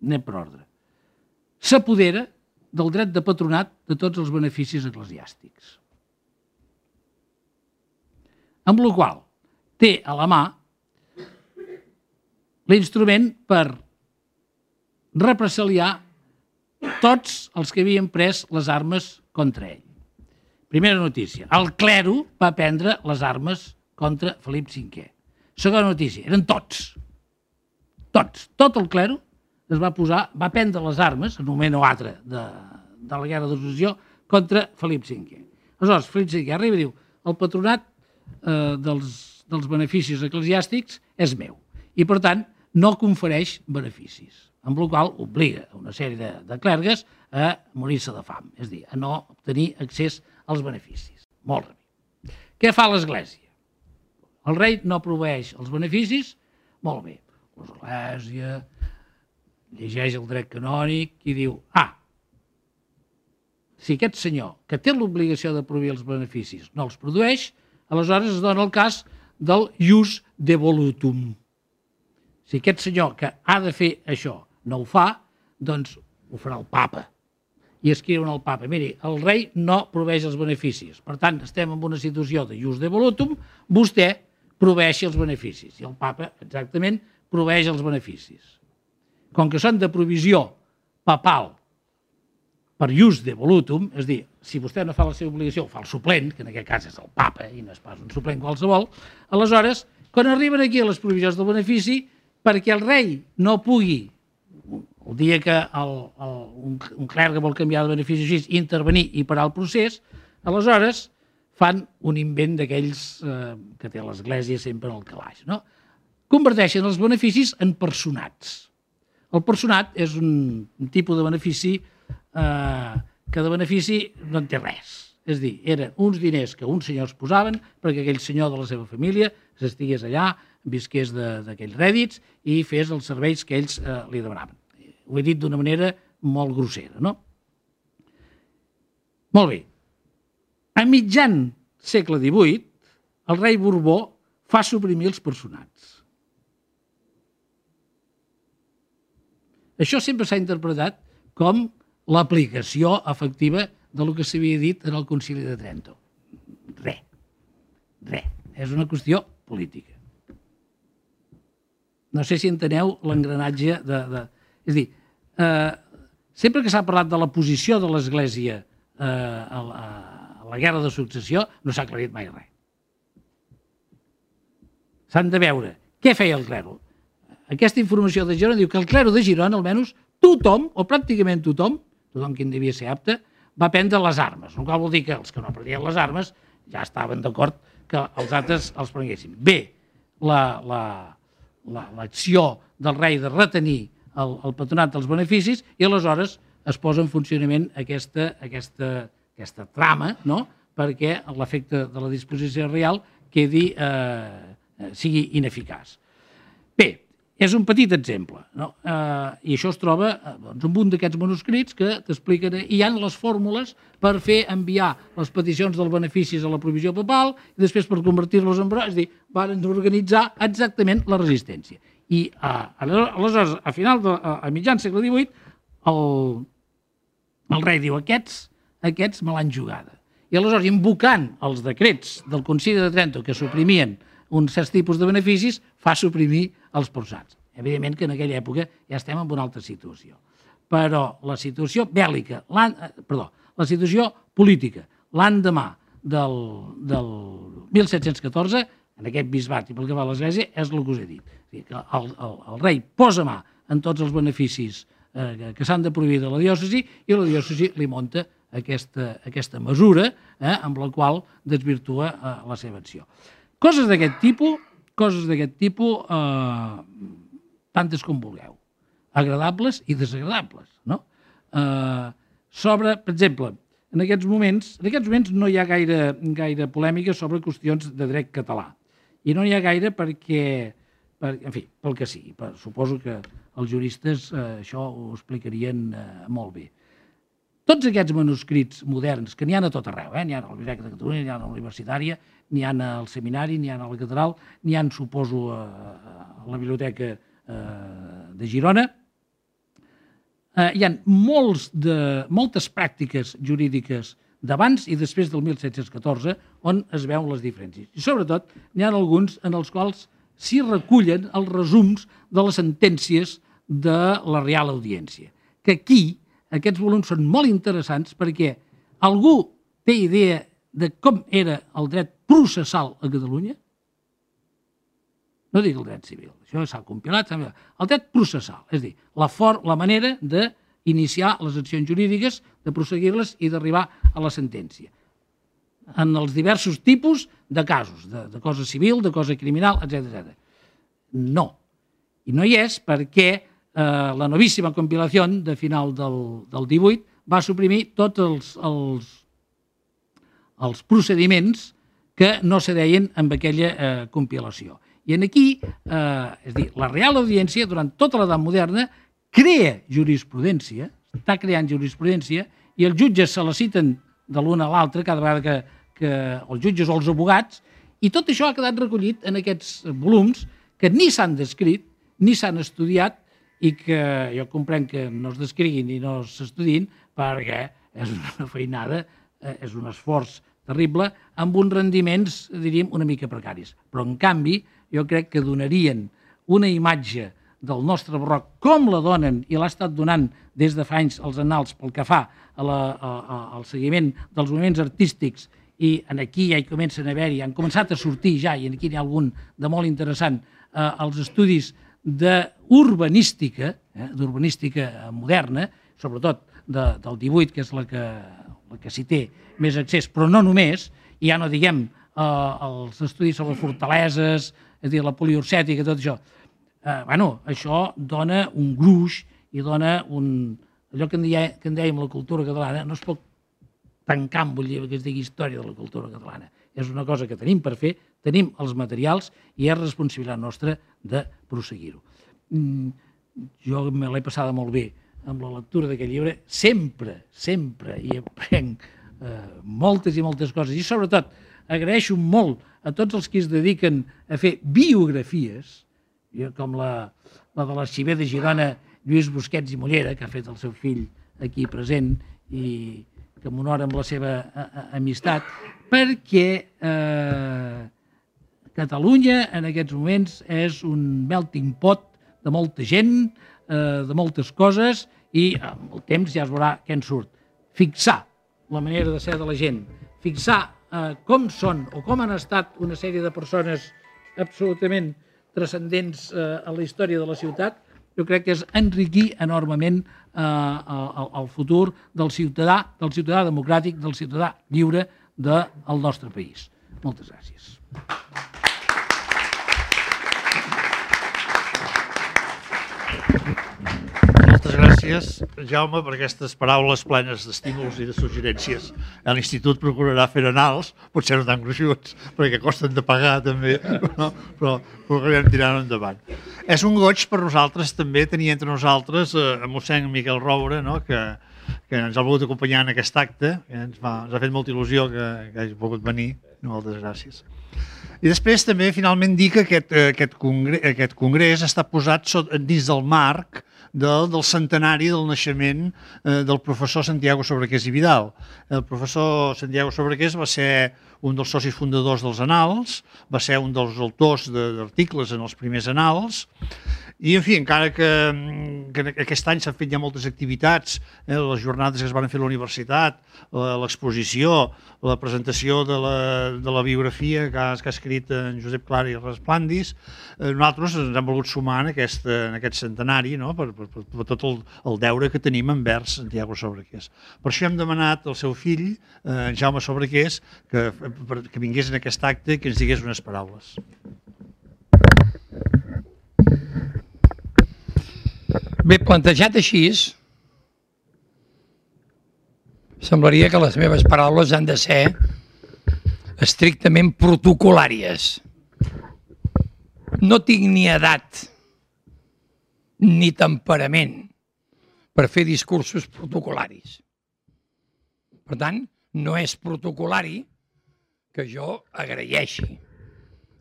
anem per ordre, s'apodera del dret de patronat de tots els beneficis eclesiàstics. Amb la qual té a la mà l'instrument per represaliar tots els que havien pres les armes contra ell. Primera notícia, el clero va prendre les armes contra Felip cinquè. Segona notícia, eren tots. Tots. Tot el clero es va posar, va prendre les armes, en un moment o altre de, de la guerra de successió, contra Felip cinquè. Aleshores, Felip cinquè arriba i diu, el patronat eh, dels, dels beneficis eclesiàstics és meu. I, per tant, no confereix beneficis, amb la qual obliga a una sèrie de, de clergues a morir-se de fam, és a dir, a no obtenir accés als beneficis. Molt bé. Què fa l'Església? El rei no proveeix els beneficis? Molt bé. L'Església llegeix el dret canònic i diu, ah, si aquest senyor, que té l'obligació de proveir els beneficis, no els produeix, aleshores es dona el cas del ius devolutum. Si aquest senyor que ha de fer això no ho fa, doncs ho farà el papa. I escriuen al papa, miri, el rei no proveeix els beneficis. Per tant, estem en una situació de ius devolutum, vostè proveeixi els beneficis. I el papa, exactament, proveeix els beneficis. Com que són de provisió papal per ius devolutum, és a dir, si vostè no fa la seva obligació, fa el suplent, que en aquest cas és el papa, i no és pas un suplent qualsevol, aleshores, quan arriben aquí a les provisions del benefici, perquè el rei no pugui, el dia que el, el, un, un clergue vol canviar de benefici així, intervenir i parar el procés, aleshores fan un invent d'aquells eh, que té l'Església sempre en el calaix. No? Converteixen els beneficis en personats. El personat és un, un tipus de benefici eh, que de benefici no en té res. És a dir, eren uns diners que uns senyors posaven perquè aquell senyor de la seva família s'estigués allà, visqués d'aquells rèdits i fes els serveis que ells eh, li demanaven. Ho he dit d'una manera molt grossera, no? Molt bé. A mitjan segle divuit, el rei Borbó fa suprimir els personats. Això sempre s'ha interpretat com l'aplicació efectiva del que s'havia dit en el Concili de Trento. Re. Re. És una qüestió política. No sé si enteneu l'engranatge de, de... És a dir, eh, sempre que s'ha parlat de la posició de l'Església eh, a, la, a la guerra de successió, no s'ha aclarit mai res. S'han de veure què feia el clero. Aquesta informació de Girona diu que el clero de Girona, almenys, tothom, o pràcticament tothom, tothom que en devia ser apte, va prendre les armes. El qual vol dir que els que no prendien les armes ja estaven d'acord que els altres els prenguessin. Bé, l'acció del rei de retenir el, el patronat dels beneficis i aleshores es posa en funcionament aquesta, aquesta, aquesta trama, no?, perquè l'efecte de la disposició real quedi, eh, sigui ineficaç. és un petit exemple, no? Eh, I això es troba eh, doncs, en un d'aquests manuscrits que t'expliquen, i hi ha les fórmules per fer enviar les peticions dels beneficis a la provisió papal i després per convertir-los en brots, és a dir, van organitzar exactament la resistència. I eh, aleshores, a final de, a, a mitjan segle divuit, el, el rei diu, aquests, aquests me l'han jugada. I aleshores, invocant els decrets del Concili de Trento que suprimien uns certs tipus de beneficis, fa suprimir els porçats. Evidentment que en aquella època ja estem en una altra situació. Però la situació bèl·lica, perdó, la situació política, l'endemà del, del mil set-cents catorze, en aquest bisbat i pel que va a l'Església, és el que us he dit. Que el, el, el rei posa mà en tots els beneficis eh, que s'han de prohibir de la diòcesi i la diòcesi li munta aquesta, aquesta mesura eh, amb la qual desvirtua eh, la seva acció. Coses d'aquest tipus, coses d'aquest tipus, eh, tantes com vulgueu, agradables i desagradables, no? Eh, sobre, per exemple, en aquests moments, en aquests moments no hi ha gaire, gaire polèmica sobre qüestions de dret català. I no n'hi ha gaire perquè, per, en fi, pel que sigui. Per, suposo que els juristes eh, això ho explicarien eh, molt bé. Tots aquests manuscrits moderns, que n'hi ha a tot arreu, eh? N'hi ha a la Biblioteca de Catalunya, n'hi ha a la Universitària, n'hi ha al Seminari, n'hi ha a la Catedral, n'hi ha, suposo, a la Biblioteca de Girona. Hi ha molts de, moltes pràctiques jurídiques d'abans i després del mil set-cents catorze on es veuen les diferències. I sobretot n'hi ha alguns en els quals s'hi recullen els resums de les sentències de la Real Audiència. Que aquí aquests volums són molt interessants perquè algú té idea de com era el dret processal a Catalunya? No dic el dret civil, això s'ha compilat. El dret processal, és a dir, la, for, la manera d'iniciar les accions jurídiques, de prosseguir-les i d'arribar a la sentència. En els diversos tipus de casos, de, de cosa civil, de cosa criminal, etcètera. No. I no hi és perquè eh, la novíssima compilació de final del, del divuit va suprimir tots els, els, els procediments que no se deien amb aquella eh, compilació. I aquí, eh, és a dir, la Real Audiència, durant tota l'edat moderna, crea jurisprudència, està creant jurisprudència, i els jutges se la citen de l'una a l'altra cada vegada que, que els jutges o els abogats, i tot això ha quedat recollit en aquests volums que ni s'han descrit, ni s'han estudiat, i que jo comprenc que no es descriguin i no s'estudiïn perquè és una feinada, és un esforç terrible, amb uns rendiments, diríem, una mica precaris. Però, en canvi, jo crec que donarien una imatge del nostre barroc, com la donen i l'ha estat donant des de fa anys els annals pel que fa a la, a, a, al seguiment dels moviments artístics, i en aquí ja hi comencen a haver-hi, han començat a sortir ja, i aquí n'hi ha algun de molt interessant, eh, els estudis d'urbanística, eh, d'urbanística moderna, sobretot de, del divuit, que és la que, la que s'hi té més accés, però no només, i ja no diguem eh, els estudis sobre fortaleses, és a dir, la poliorcètica, tot això. Eh, bueno, això dona un gruix i dona un... allò que en, deia, que en dèiem la cultura catalana no es pot tancar amb un llibre que es digui història de la cultura catalana. És una cosa que tenim per fer, tenim els materials i és responsabilitat nostra de prosseguir-ho. Mm, jo me l'he passada molt bé amb la lectura d'aquest llibre. Sempre, sempre hi aprenc eh, moltes i moltes coses. I sobretot agraeixo molt a tots els que es dediquen a fer biografies, com la, la de l'arxiver de Girona, Lluís Busquets i Mollera, que ha fet el seu fill aquí present i que m'honora amb la seva a, a, amistat, perquè eh, Catalunya en aquests moments és un melting pot de molta gent, eh, de moltes coses, i amb el temps ja es veurà què en surt. Fixar la manera de ser de la gent, fixar eh, com són o com han estat una sèrie de persones absolutament transcendents eh, a la història de la ciutat, jo crec que és enriquir enormement eh, el, el futur del ciutadà, del ciutadà democràtic, del ciutadà lliure del nostre país. Moltes gràcies. Moltes gràcies. gràcies, Jaume, per aquestes paraules plenes d'estímuls i de suggerències. L'Institut procurarà fer anals, potser no tan gruixuts, perquè costen de pagar també, no? Però procurarem tirar-ho endavant. És un goig per nosaltres també tenir entre nosaltres eh, a mossèn Miquel Roure, no? que, que ens ha volgut acompanyar en aquest acte, que ens, fa, ens ha fet molta il·lusió que, que hagi pogut venir. Moltes gràcies. I després també finalment dir que aquest, aquest, congrés, aquest congrés està posat sot, dins del marc del, del centenari del naixement eh, del professor Santiago Sobrequés i Vidal. El professor Santiago Sobrequés va ser un dels socis fundadors dels Annals, va ser un dels autors d'articles en els primers Annals, i, en fi, encara que, que aquest any s'han fet ja moltes activitats, eh, les jornades que es van fer a la universitat, l'exposició, la presentació de la, de la biografia que ha, que ha escrit en Josep Clara i Resplandis, eh, nosaltres ens hem volgut sumar en aquest, en aquest centenari, no? per, per, per, per tot el, el deure que tenim envers Santiago Sobrequés. Per això hem demanat al seu fill, eh, Jaume Sobrequés, que, que vingués en aquest acte i que ens digués unes paraules. Bé, plantejat així, semblaria que les meves paraules han de ser estrictament protocolàries. No tinc ni edat ni temperament per fer discursos protocolaris. Per tant, no és protocolari que jo agraeixi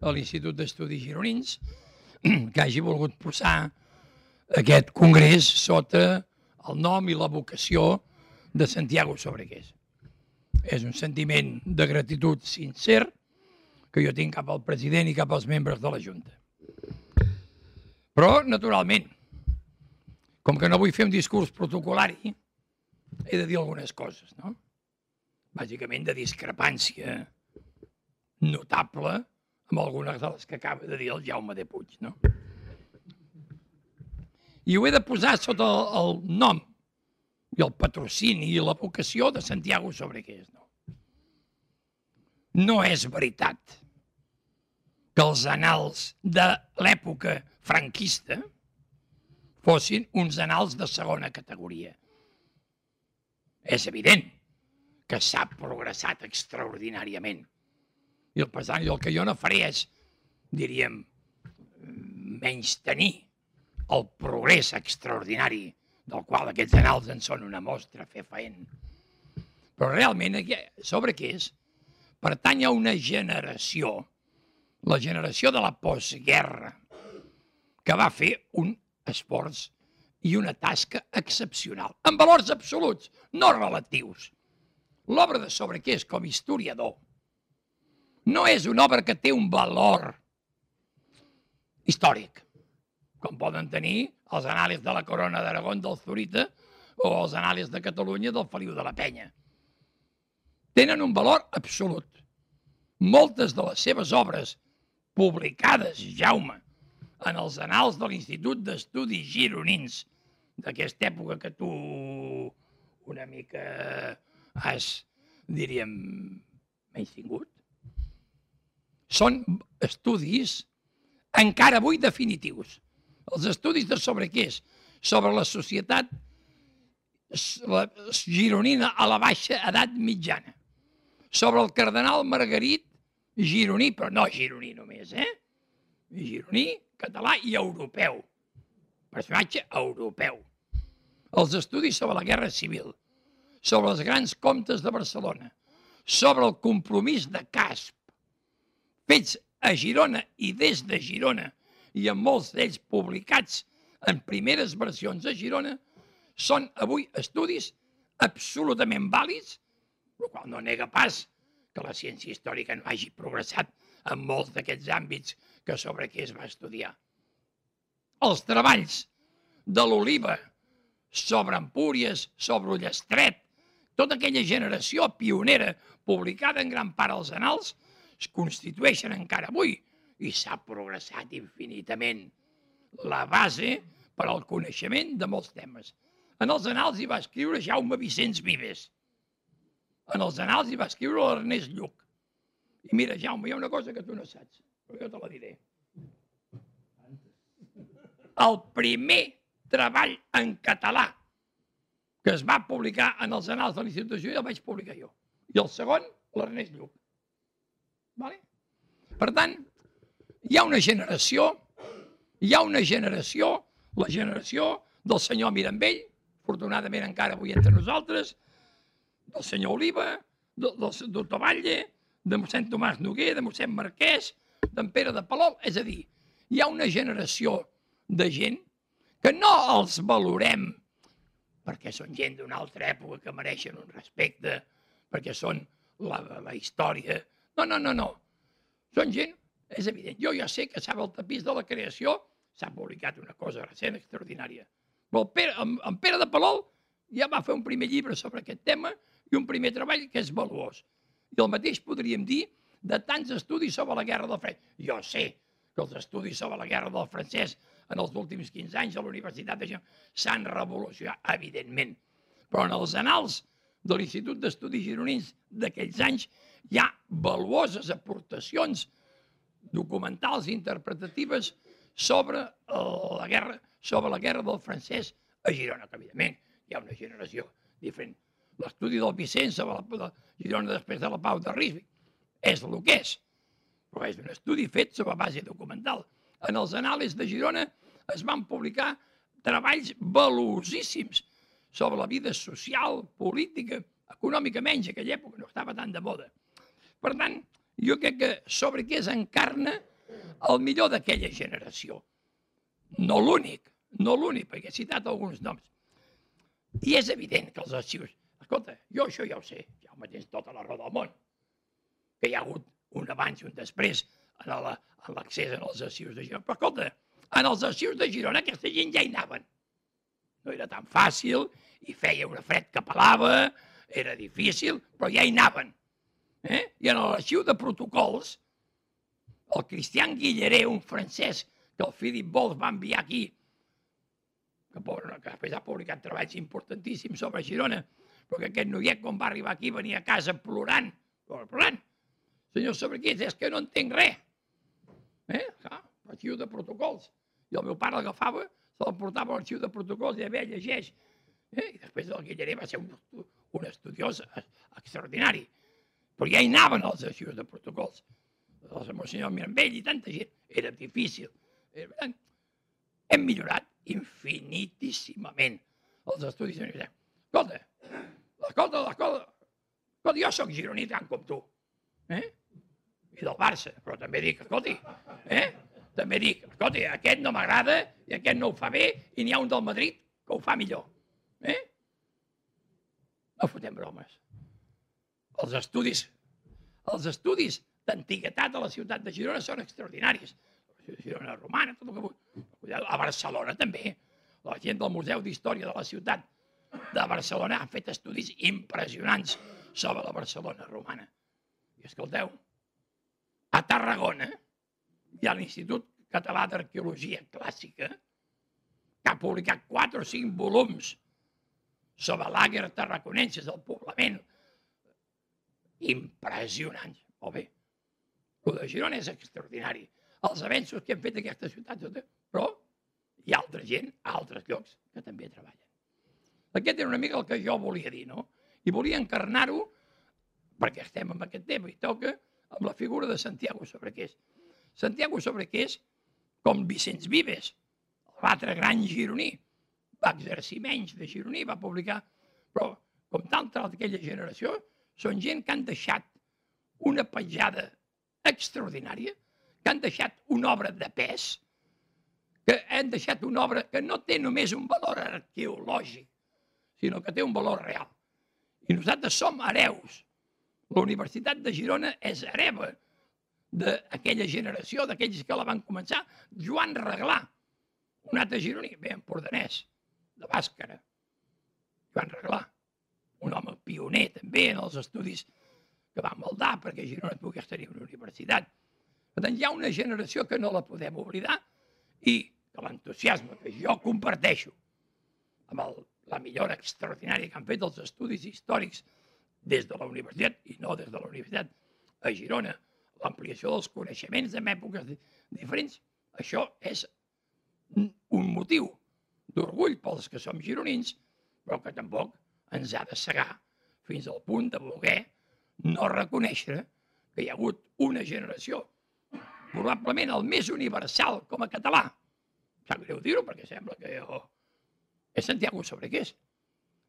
a l'Institut d'Estudis Gironins que hagi volgut posar aquest congrés sota el nom i la vocació de Santiago Sobrequés. És un sentiment de gratitud sincer que jo tinc cap al president i cap als membres de la Junta. Però, naturalment, com que no vull fer un discurs protocolari, he de dir algunes coses, no? Bàsicament de discrepància notable amb algunes de les que acaba de dir el Jaume de Puig, no? I ho he de posar sota el, el nom i el patrocini i la vocació de Santiago Sobrequés. No, no és veritat que els annals de l'època franquista fossin uns annals de segona categoria. És evident que s'ha progressat extraordinàriament. I el pesant, i el que jo no faré és, diríem, menys tenir el progrés extraordinari del qual aquests annals en són una mostra fefaent. Però realment, Sobrequés pertany a una generació, la generació de la postguerra, que va fer un esforç i una tasca excepcional, amb valors absoluts, no relatius. L'obra de Sobrequés com a historiador no és una obra que té un valor històric, com poden tenir els anàlisis de la Corona d'Aragó del Zurita o els anàlisis de Catalunya del Feliu de la Penya. Tenen un valor absolut. Moltes de les seves obres publicades, Jaume, en els annals de l'Institut d'Estudis Gironins, d'aquesta època que tu una mica has, diríem, menystingut, són estudis encara avui definitius. Els estudis de Sobrequés sobre la societat gironina a la baixa edat mitjana, sobre el cardenal Margarit gironí, però no gironí només, eh? Gironí, català i europeu. Personatge europeu. Els estudis sobre la Guerra Civil, sobre els grans comtes de Barcelona, sobre el compromís de Casp, fets a Girona i des de Girona, i amb molts d'ells publicats en primeres versions a Girona, són avui estudis absolutament vàlids, el qual no nega pas que la ciència històrica no hagi progressat en molts d'aquests àmbits que Sobrequés va estudiar. Els treballs de l'Oliva sobre Empúries, sobre Ullastret, tota aquella generació pionera publicada en gran part als annals, es constitueixen encara avui i s'ha progressat infinitament la base per al coneixement de molts temes. En els annals hi va escriure Jaume Vicenç Vives. En els annals hi va escriure l'Ernest Lluch. I mira, Jaume, hi ha una cosa que tu no saps, però jo te la diré. El primer treball en català que es va publicar en els anals de l'Institut de Girona, el vaig publicar jo. I el segon, l'Ernest Lluc. Vale? Per tant, hi ha una generació, hi ha una generació, la generació del senyor Mirambell, afortunadament encara avui entre nosaltres, del senyor Oliva, del, del doctor Batlle, de mossèn Tomàs Noguer, de mossèn Marquès, d'en Pere de Palol. És a dir, hi ha una generació de gent que no els valorem perquè són gent d'una altra època que mereixen un respecte, perquè són la, la història. No, no, no, no. Són gent, és evident. Jo ja sé que sabe el tapís de la creació, s'ha publicat una cosa recent extraordinària. Però el Pere, en, en Pere de Palol ja va fer un primer llibre sobre aquest tema i un primer treball que és valuós. I el mateix podríem dir de tants estudis sobre la guerra del francès. Jo sé que els estudis sobre la guerra del francès en els últims quinze anys a la Universitat de Girona s'han revolucionat, evidentment. Però en els anals de l'Institut d'Estudis Gironins d'aquells anys hi ha valuoses aportacions documentals i interpretatives sobre la guerra, sobre la guerra del francès a Girona, que evidentment hi ha una generació diferent. L'estudi del Vicent sobre la Girona després de la Pau de Ríswick és el que és, però és un estudi fet sobre base documental. En els anàlids de Girona es van publicar treballs valuosíssims sobre la vida social, política, econòmica menys, a aquella època no estava tan de moda. Per tant, jo crec que sobre què s'encarna el millor d'aquella generació. No l'únic, no l'únic, perquè he citat alguns noms. I és evident que els arxius... Escolta, jo això ja ho sé, ja ho mateix tota la raó del món, que hi ha hagut un abans i un després en l'accés als arxius de Girona. Però escolta, en els arxius de Girona aquesta gent ja hi anaven. No era tan fàcil, i feia una fred que pelava, era difícil, però ja hi anaven. Eh? I en l'arxiu de protocols, el Cristian Guilleré, un francès que el Philip Bols va enviar aquí, que, pobre, que després ha publicat treballs importantíssims sobre Girona, però que aquest noiet, quan va arribar aquí, venia a casa plorant, plorant. Senyor Sabriqués, és que no entenc res. Eh? Ah, l'arxiu de protocols. I el meu pare l'agafava, se l'emportava a l'arxiu de protocols i a veure, llegeix. Eh? I després el Guilleré va ser un, un estudiós extraordinari. Però ja hi anaven els arxius de protocols. El senyor Mirambell i tanta gent. Era difícil. Era... Hem millorat infinitíssimament els estudis universitaris. Escolta, escolta, escolta, escolta, jo soc gironí tant com tu. Eh? I del Barça, però també dic, escolti, eh? també dic, escolti, aquest no m'agrada i aquest no ho fa bé i n'hi ha un del Madrid que ho fa millor. Eh? No fotem bromes. Els estudis, els estudis d'antiguitat de la ciutat de Girona són extraordinaris. La Girona romana, tot el que vull. A Barcelona també. La gent del Museu d'Història de la ciutat de Barcelona ha fet estudis impressionants sobre la Barcelona romana. I escolteu, a Tarragona hi ha l'Institut Català d'Arqueologia Clàssica que ha publicat quatre o cinc volums sobre l'àguer tarraconenses, el poblament. Impressionants. Molt bé. El de Girona és extraordinari. Els avenços que han fet aquesta ciutat, però hi ha altra gent a altres llocs que també treballen. Aquest era una mica el que jo volia dir, no? I volia encarnar-ho, perquè estem en aquest tema, i toca amb la figura de Santiago Sobrequés. Santiago Sobrequés, com Vicenç Vives, l'altre gran gironí, va exercir menys de gironí, va publicar, però com tanta d'aquella generació, són gent que han deixat una petjada extraordinària, que han deixat una obra de pes, que han deixat una obra que no té només un valor arqueològic, sinó que té un valor real. I nosaltres som hereus. La Universitat de Girona és hereva d'aquella generació, d'aquells que la van començar. Joan Reglà, un altre gironí, bé, empordanès, de Bàscara. Joan Reglà, un home pioner també en els estudis que va maldar perquè Girona pogués tenir una universitat. Per tant, hi ha una generació que no la podem oblidar i que l'entusiasme que jo comparteixo amb el, la millora extraordinària que han fet els estudis històrics des de la universitat i no des de la universitat a Girona, l'ampliació dels coneixements en èpoques diferents, això és un motiu d'orgull pels que som gironins, però que tampoc ens ha de cegar fins al punt de voler no reconèixer que hi ha hagut una generació, probablement el més universal com a català. Sap greu dir-ho perquè sembla que jo... És Santiago Sobrequés.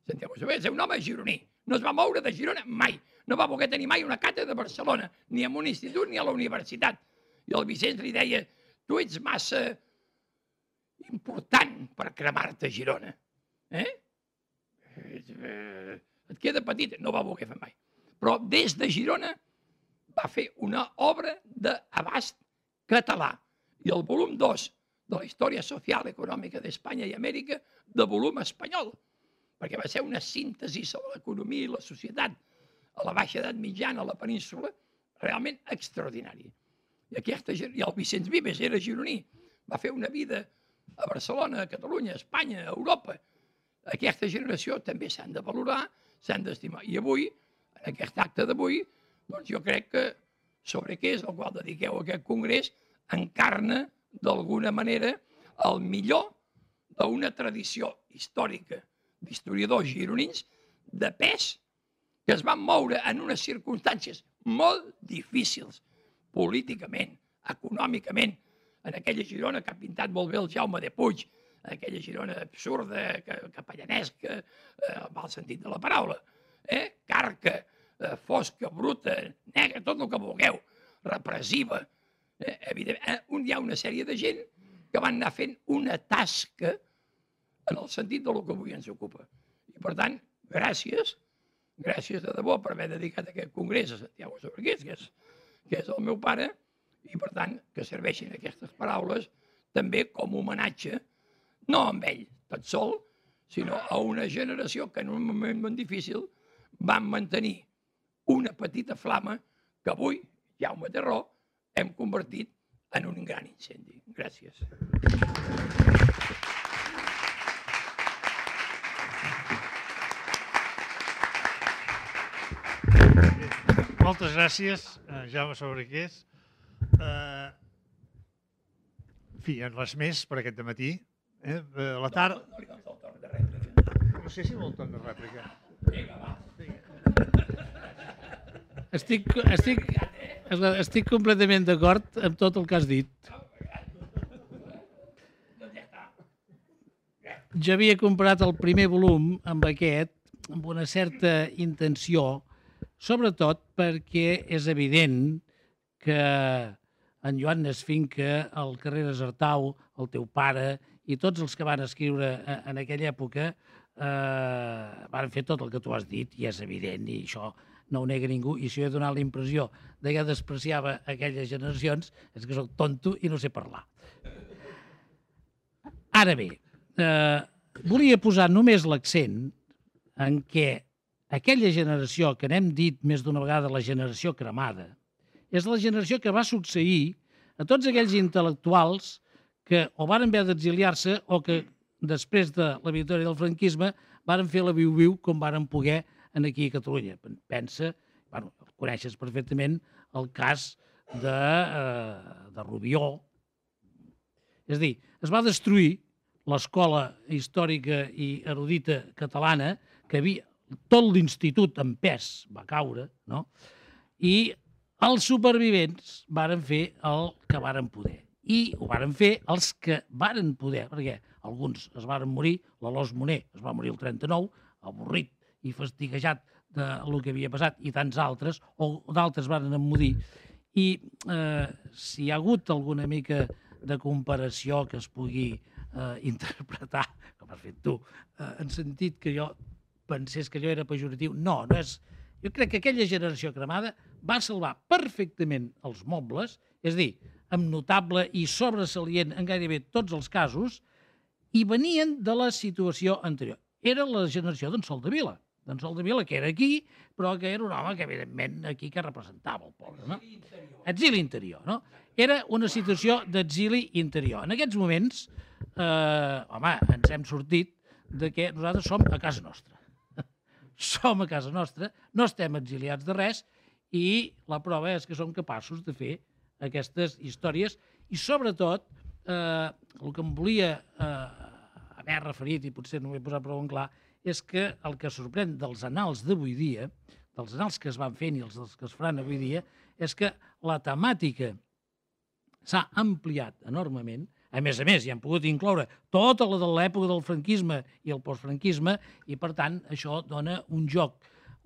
Santiago Sobrequés és un home gironí. No es va moure de Girona mai. No va voler tenir mai una càtedra de Barcelona, ni en un institut ni a la universitat. I el Vicenç li deia, tu ets massa important per cremar-te a Girona. Eh? Et queda petit. No va voler fer mai. Però des de Girona va fer una obra d'abast català. I el volum dos de la història social i econòmica d'Espanya i Amèrica de volum espanyol, perquè va ser una síntesi sobre l'economia i la societat a la baixa edat mitjana, a la península, realment extraordinària. I, aquesta, i el Vicenç Vives era gironí, va fer una vida a Barcelona, a Catalunya, a Espanya, a Europa. Aquesta generació també s'han de valorar, s'han d'estimar. I avui, en aquest acte d'avui, doncs jo crec que Sobrequés, al qual dediqueu aquest congrés, encarna d'alguna manera el millor d'una tradició històrica d'historiadors gironins de pes que es van moure en unes circumstàncies molt difícils, políticament, econòmicament, en aquella Girona que ha pintat molt bé el Jaume de Puig, en aquella Girona absurda, capellanesca, en mal sentit de la paraula, eh? Carca, fosca, bruta, negra, tot el que vulgueu, repressiva. Eh, evidentment, hi ha una sèrie de gent que van anar fent una tasca en el sentit del que avui ens ocupa. I, per tant, gràcies, gràcies de debò per haver dedicat aquest congrés a Santiago Sobrequés, que és, que és el meu pare, i, per tant, que serveixin aquestes paraules també com a homenatge, no amb ell, tot sol, sinó a una generació que en un moment molt difícil van mantenir una petita flama que avui, Jaume té raó, hem convertit en un gran incendi. Gràcies. Moltes gràcies, Jaume Sobrequés. En fi, res més per aquest dematí. La tarda... No li dones el torn de rèplica. No sé si vol torn de rèplica. Vinga, va. Estic, estic, estic completament d'acord amb tot el que has dit. Jo havia comprat el primer volum amb aquest, amb una certa intenció, sobretot perquè és evident que en Joan Nesfinca, el Carreras Artau, el teu pare i tots els que van escriure en aquella època eh, van fer tot el que tu has dit i és evident i això no ho nega ningú, i si jo he donat la impressió de que despreciava aquelles generacions, és que soc tonto i no sé parlar. Ara bé, eh, volia posar només l'accent en què aquella generació, que n'hem dit més d'una vegada la generació cremada, és la generació que va succeir a tots aquells intel·lectuals que o van haver d'exiliar-se o que després de la victòria del franquisme varen fer la viu-viu com varen poder aquí a Catalunya. Pensa, bueno, coneixes perfectament el cas de, eh, de Rubió. És a dir, es va destruir l'escola històrica i erudita catalana, que havia tot l'institut en pes va caure, no? I els supervivents varen fer el que varen poder. I ho varen fer els que varen poder, perquè alguns es varen morir, l'Alòs Moner es va morir el trenta-nou, avorrit i fastiguejat del que havia passat, i tants altres, o d'altres van emmudir. I eh, si hi ha hagut alguna mica de comparació que es pugui eh, interpretar, com has fet tu, eh, en sentit que jo pensés que allò era pejoratiu, no, no és... Jo crec que aquella generació cremada va salvar perfectament els mobles, és a dir, amb notable i sobresalient en gairebé tots els casos, i venien de la situació anterior. Era la generació d'en Soldevila, d'en Soldevila, que era aquí, però que era un home que, evidentment, aquí que representava el poble, no? Exili interior, no? Era una situació d'exili interior. En aquests moments, eh, home, ens hem sortit de que nosaltres som a casa nostra. Som a casa nostra, no estem exiliats de res, i la prova és que som capaços de fer aquestes històries, i sobretot, eh, el que em volia eh, haver referit, i potser no ho he posat prou en clar, és que el que sorprèn dels anals d'avui dia, dels anals que es van fent i els dels que es faran avui dia, és que la temàtica s'ha ampliat enormement. A més a més, hi han pogut incloure tota la de l'època del franquisme i el postfranquisme i, per tant, això dona un joc,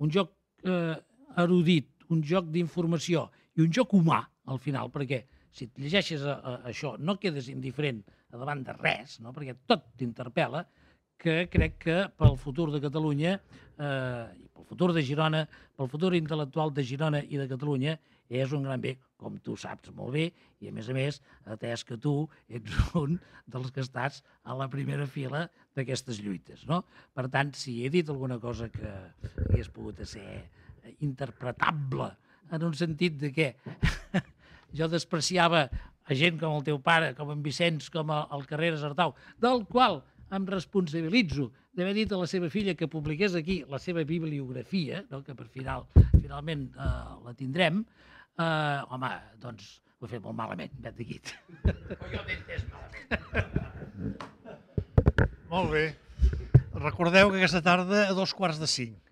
un joc eh, erudit, un joc d'informació i un joc humà, al final, perquè si et llegeixes a, a, això no quedes indiferent a davant de res, no? Perquè tot t'interpel·la, que crec que pel futur de Catalunya, eh, i pel futur de Girona, pel futur intel·lectual de Girona i de Catalunya, és un gran bé, com tu saps molt bé, i a més a més, atès que tu ets un dels que estàs a la primera fila d'aquestes lluites, no? Per tant, si he dit alguna cosa que hagués pogut ser interpretable, en un sentit de que jo despreciava a gent com el teu pare, com en Vicenç, com el Carreras Artau, del qual em responsabilitzo d'haver dit a la seva filla que publiqués aquí la seva bibliografia, no? Que per final, finalment eh, la tindrem, eh, home, doncs ho he fet molt malament, vet d'aquí. Jo t'he entès malament. Molt bé. Recordeu que aquesta tarda a dos quarts de cinc.